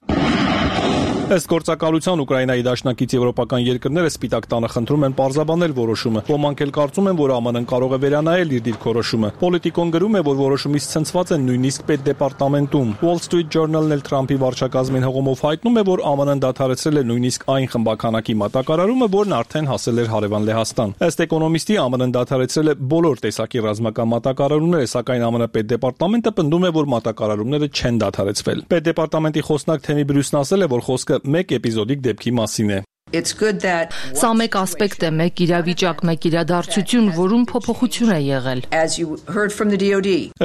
Ըստ գործակալության Ուկրաինայի դաշնակից եվրոպական երկրները Սպիտակ տանը խնդրում են պարզաբանել որոշումը։ Ոմանք էլ կարծում են, որ ԱՄՆ-ն կարող է վերանայել իր դիրքորոշումը։ Պոլիտիկոն գրում է, որ որոշումից ցնցված են նույնիսկ պետդեպարտամենտում։ Wall Street Journal-ն էլ Թրամփի վարչակազմին հողոմով հայտնում է, որ ԱՄՆ-ն դադարեցրել է նույնիսկ այն խմբականակի մատակարարումը, որն արդեն հասել էր հարևան Լեհաստան։ Ըստ էկոնոմիստի ԱՄՆ-ն դադարեցրել է բոլոր տեսակի ռազմական մատակարարումները, սակայն ԱՄՆ պետդեպարտամենտը պնդում է, որ մատակարարումները չեն դադարեցվել։ Պետդեպարտամենտի խոսնակ Թեմի Բրյուսն ասել է, որ խոսքը մեկ էպիզոդիկ դեպքի մասին է։ Սա մեկ ասպեկտ է, մեկ իրավիճակ, մեկ իրադարձություն, որում փոփոխություն է եղել։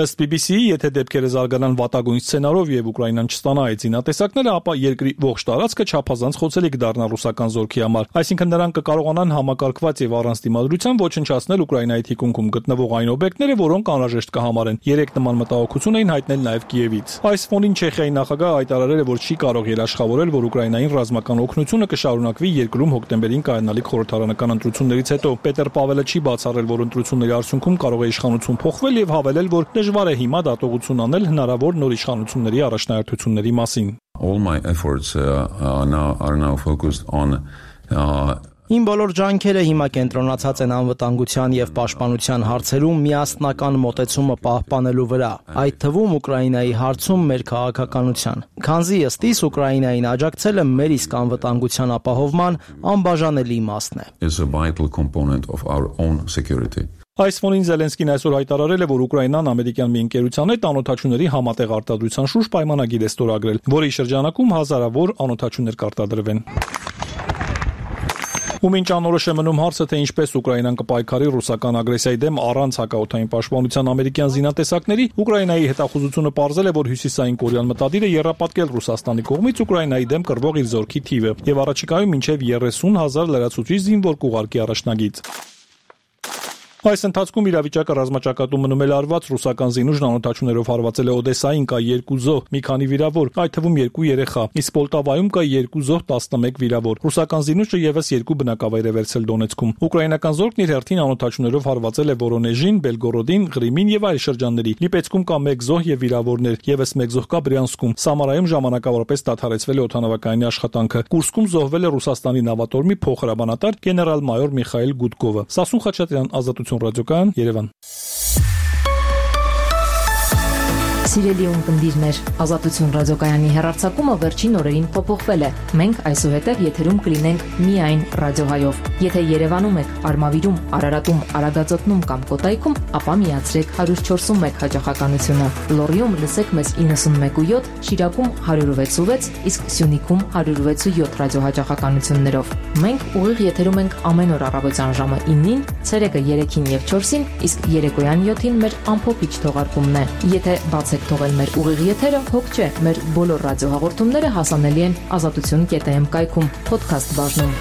Ըստ բի բի սի-ի, եթե դեպքերը զարգանան վատագույն սցենարով եւ Ուկրաինան չստանա այդ զինատեսակները, ապա երկրի ողջ տարածքը չափազանց խոցելի կդառնա ռուսական զորքի համար։ Այսինքն նրանք կկարողանան համակարգված եւ առանց դիմադրության ոչնչացնել Ուկրաինայի թիկունքում գտնվող այն օբյեկտները, որոնք անհրաժեշտ կհամարեն։ Երեք նման մտահոգություն էին հայտնել նաեւ Կիևից։ Այս ֆոնին Չեխիայի նախագահը հայտարարել է, որ չի կարող երաշխավորել, որ Ուկրաինային ռազմական օգնությունը կշարունակվի երկրում հոկտեմբերին կայանալիք խորհրդարանական ընտրություններից հետո։ Պետեր Պավելը չի բացառել, որ ընտրությունների արդյունքում կարող է իշխանություն փոխվել եւ հավելել, որ դժվար է հիմա դատողություն անել հնարավոր նոր իշխանությունների առաջնահերթությունների մասին։ All my efforts uh, are now are now focused on uh, Իմ բոլոր ջանքերը հիմա կենտրոնացած են անվտանգության եւ պաշտպանության հարցերում միասնական մոտեցումը պահպանելու վրա, այդ թվում Ուկրաինայի հարցում մեր քաղաքականության։ Քանզի ըստ իս Ուկրաինային աջակցելը մեր իսկ անվտանգության ապահովման անբաժանելի իմաստն է։ Is a vital component of our own security. Այս ֆոնին Զելենսկին այսօր հայտարարել է, որ Ուկրաինան ամերիկյան մի ընկերության հետ անօթաչուների համատեղ արտադրության շուրջ պայմանագիր է ստորագրել, որի շրջանակում հազարավոր անօթաչուներ կարտադրվեն։ Ու մինչ անորոշ է մնում հարցը, թե ինչպես Ուկրաինան կպայքարի ռուսական ագրեսիայի դեմ առանց հակաօդային պաշտպանության ամերիկյան զինատեսակների, Ուկրաինայի հետախուզությունը պարզել է, որ հյուսիսային կորեան մտադիր է եռապատկել Ռուսաստանի կողմից Ուկրաինայի դեմ կռվող իր զորքի թիվը եւ առաջիկայում մինչեւ երեսուն հազար լրացուցիչ զինվոր կուղարկի առաջնագիծ։ Այս ընթացքում իրավիճակը ռազմաճակատում մնում է լարված, ռուսական զինուժն անօթաչուներով հարվածել է Օդեսային, կա երկու զոհ, մի քանի վիրավոր, այդ թվում երկու երեխա, իսկ Պոլտավայում կա երկու զոհ, տասնմեկ վիրավոր։ Ռուսական զինուժը եւս երկու բնակավայր է վերցել Դոնեցկում։ Ուկրաինական զորքն իր հերթին անօթաչուներով հարվածել է Վորոնեժին, Բելգորոդին, Ղրիմին եւ այլ շրջանների։ Լիպեցկում կա մեկ զոհ եւ վիրավորներ, եւս մեկ զոհ կա Բրյանսկում։ Սամարայում ժամանակավորապես դադարեցվել է օդանավակայանի աշխատանքը։ Կուրսկում զոհվել է Ռուսաստանի նավատորմի փոխհրամանատար գեներալ-մայոր Միխայել Գուդկովը։ Սասուն Խաչատրյան, Ազատություն ռադիոկայան, Երևան։ Սիրելի ունկնդիրներ, Ազատություն ռադիոկայանի հեռարձակումը վերջին օրերին փոփոխվել է։ Մենք այսուհետև եթերում կլինենք միայն ռադիոհայով։ Եթե Երևանում եք, Արմավիրում, Արարատում, Արագածոտնում կամ Կոտայքում, ապա միացրեք one oh four one հաճախականությունը։ Լոռիում լսեք մեզ ninety-one point seven, Շիրակում one oh six point six, իսկ Սյունիքում one oh six point seven ռադիոհաճախականություններով։ Մենք ուղիղ եթերում ենք ամեն օր առավոտյան ժամը nine-ին, ցերեկը three-ին եւ four-ին, իսկ երեկոյան seven-ին մեր ամփոփիչ թողարկումն է։ Եթե բացեք թողել մեր ուղիղ եթերը, հոգ չէ, մեր բոլոր ռադիոհաղորդումները հասանելի են ազատություն կետ am կայքում, podcast բաժնում։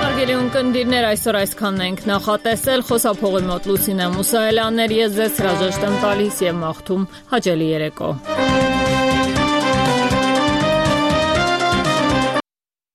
Հարգելի ունկնդիրներ, այսօր այսքանն ենք նախատեսել, խոսափողի մոտ Լուսինե Մուսայելյաններ, ես ձեզ հրաժեշտ եմ տալիս եւ մաղթում հաճելի երեկո։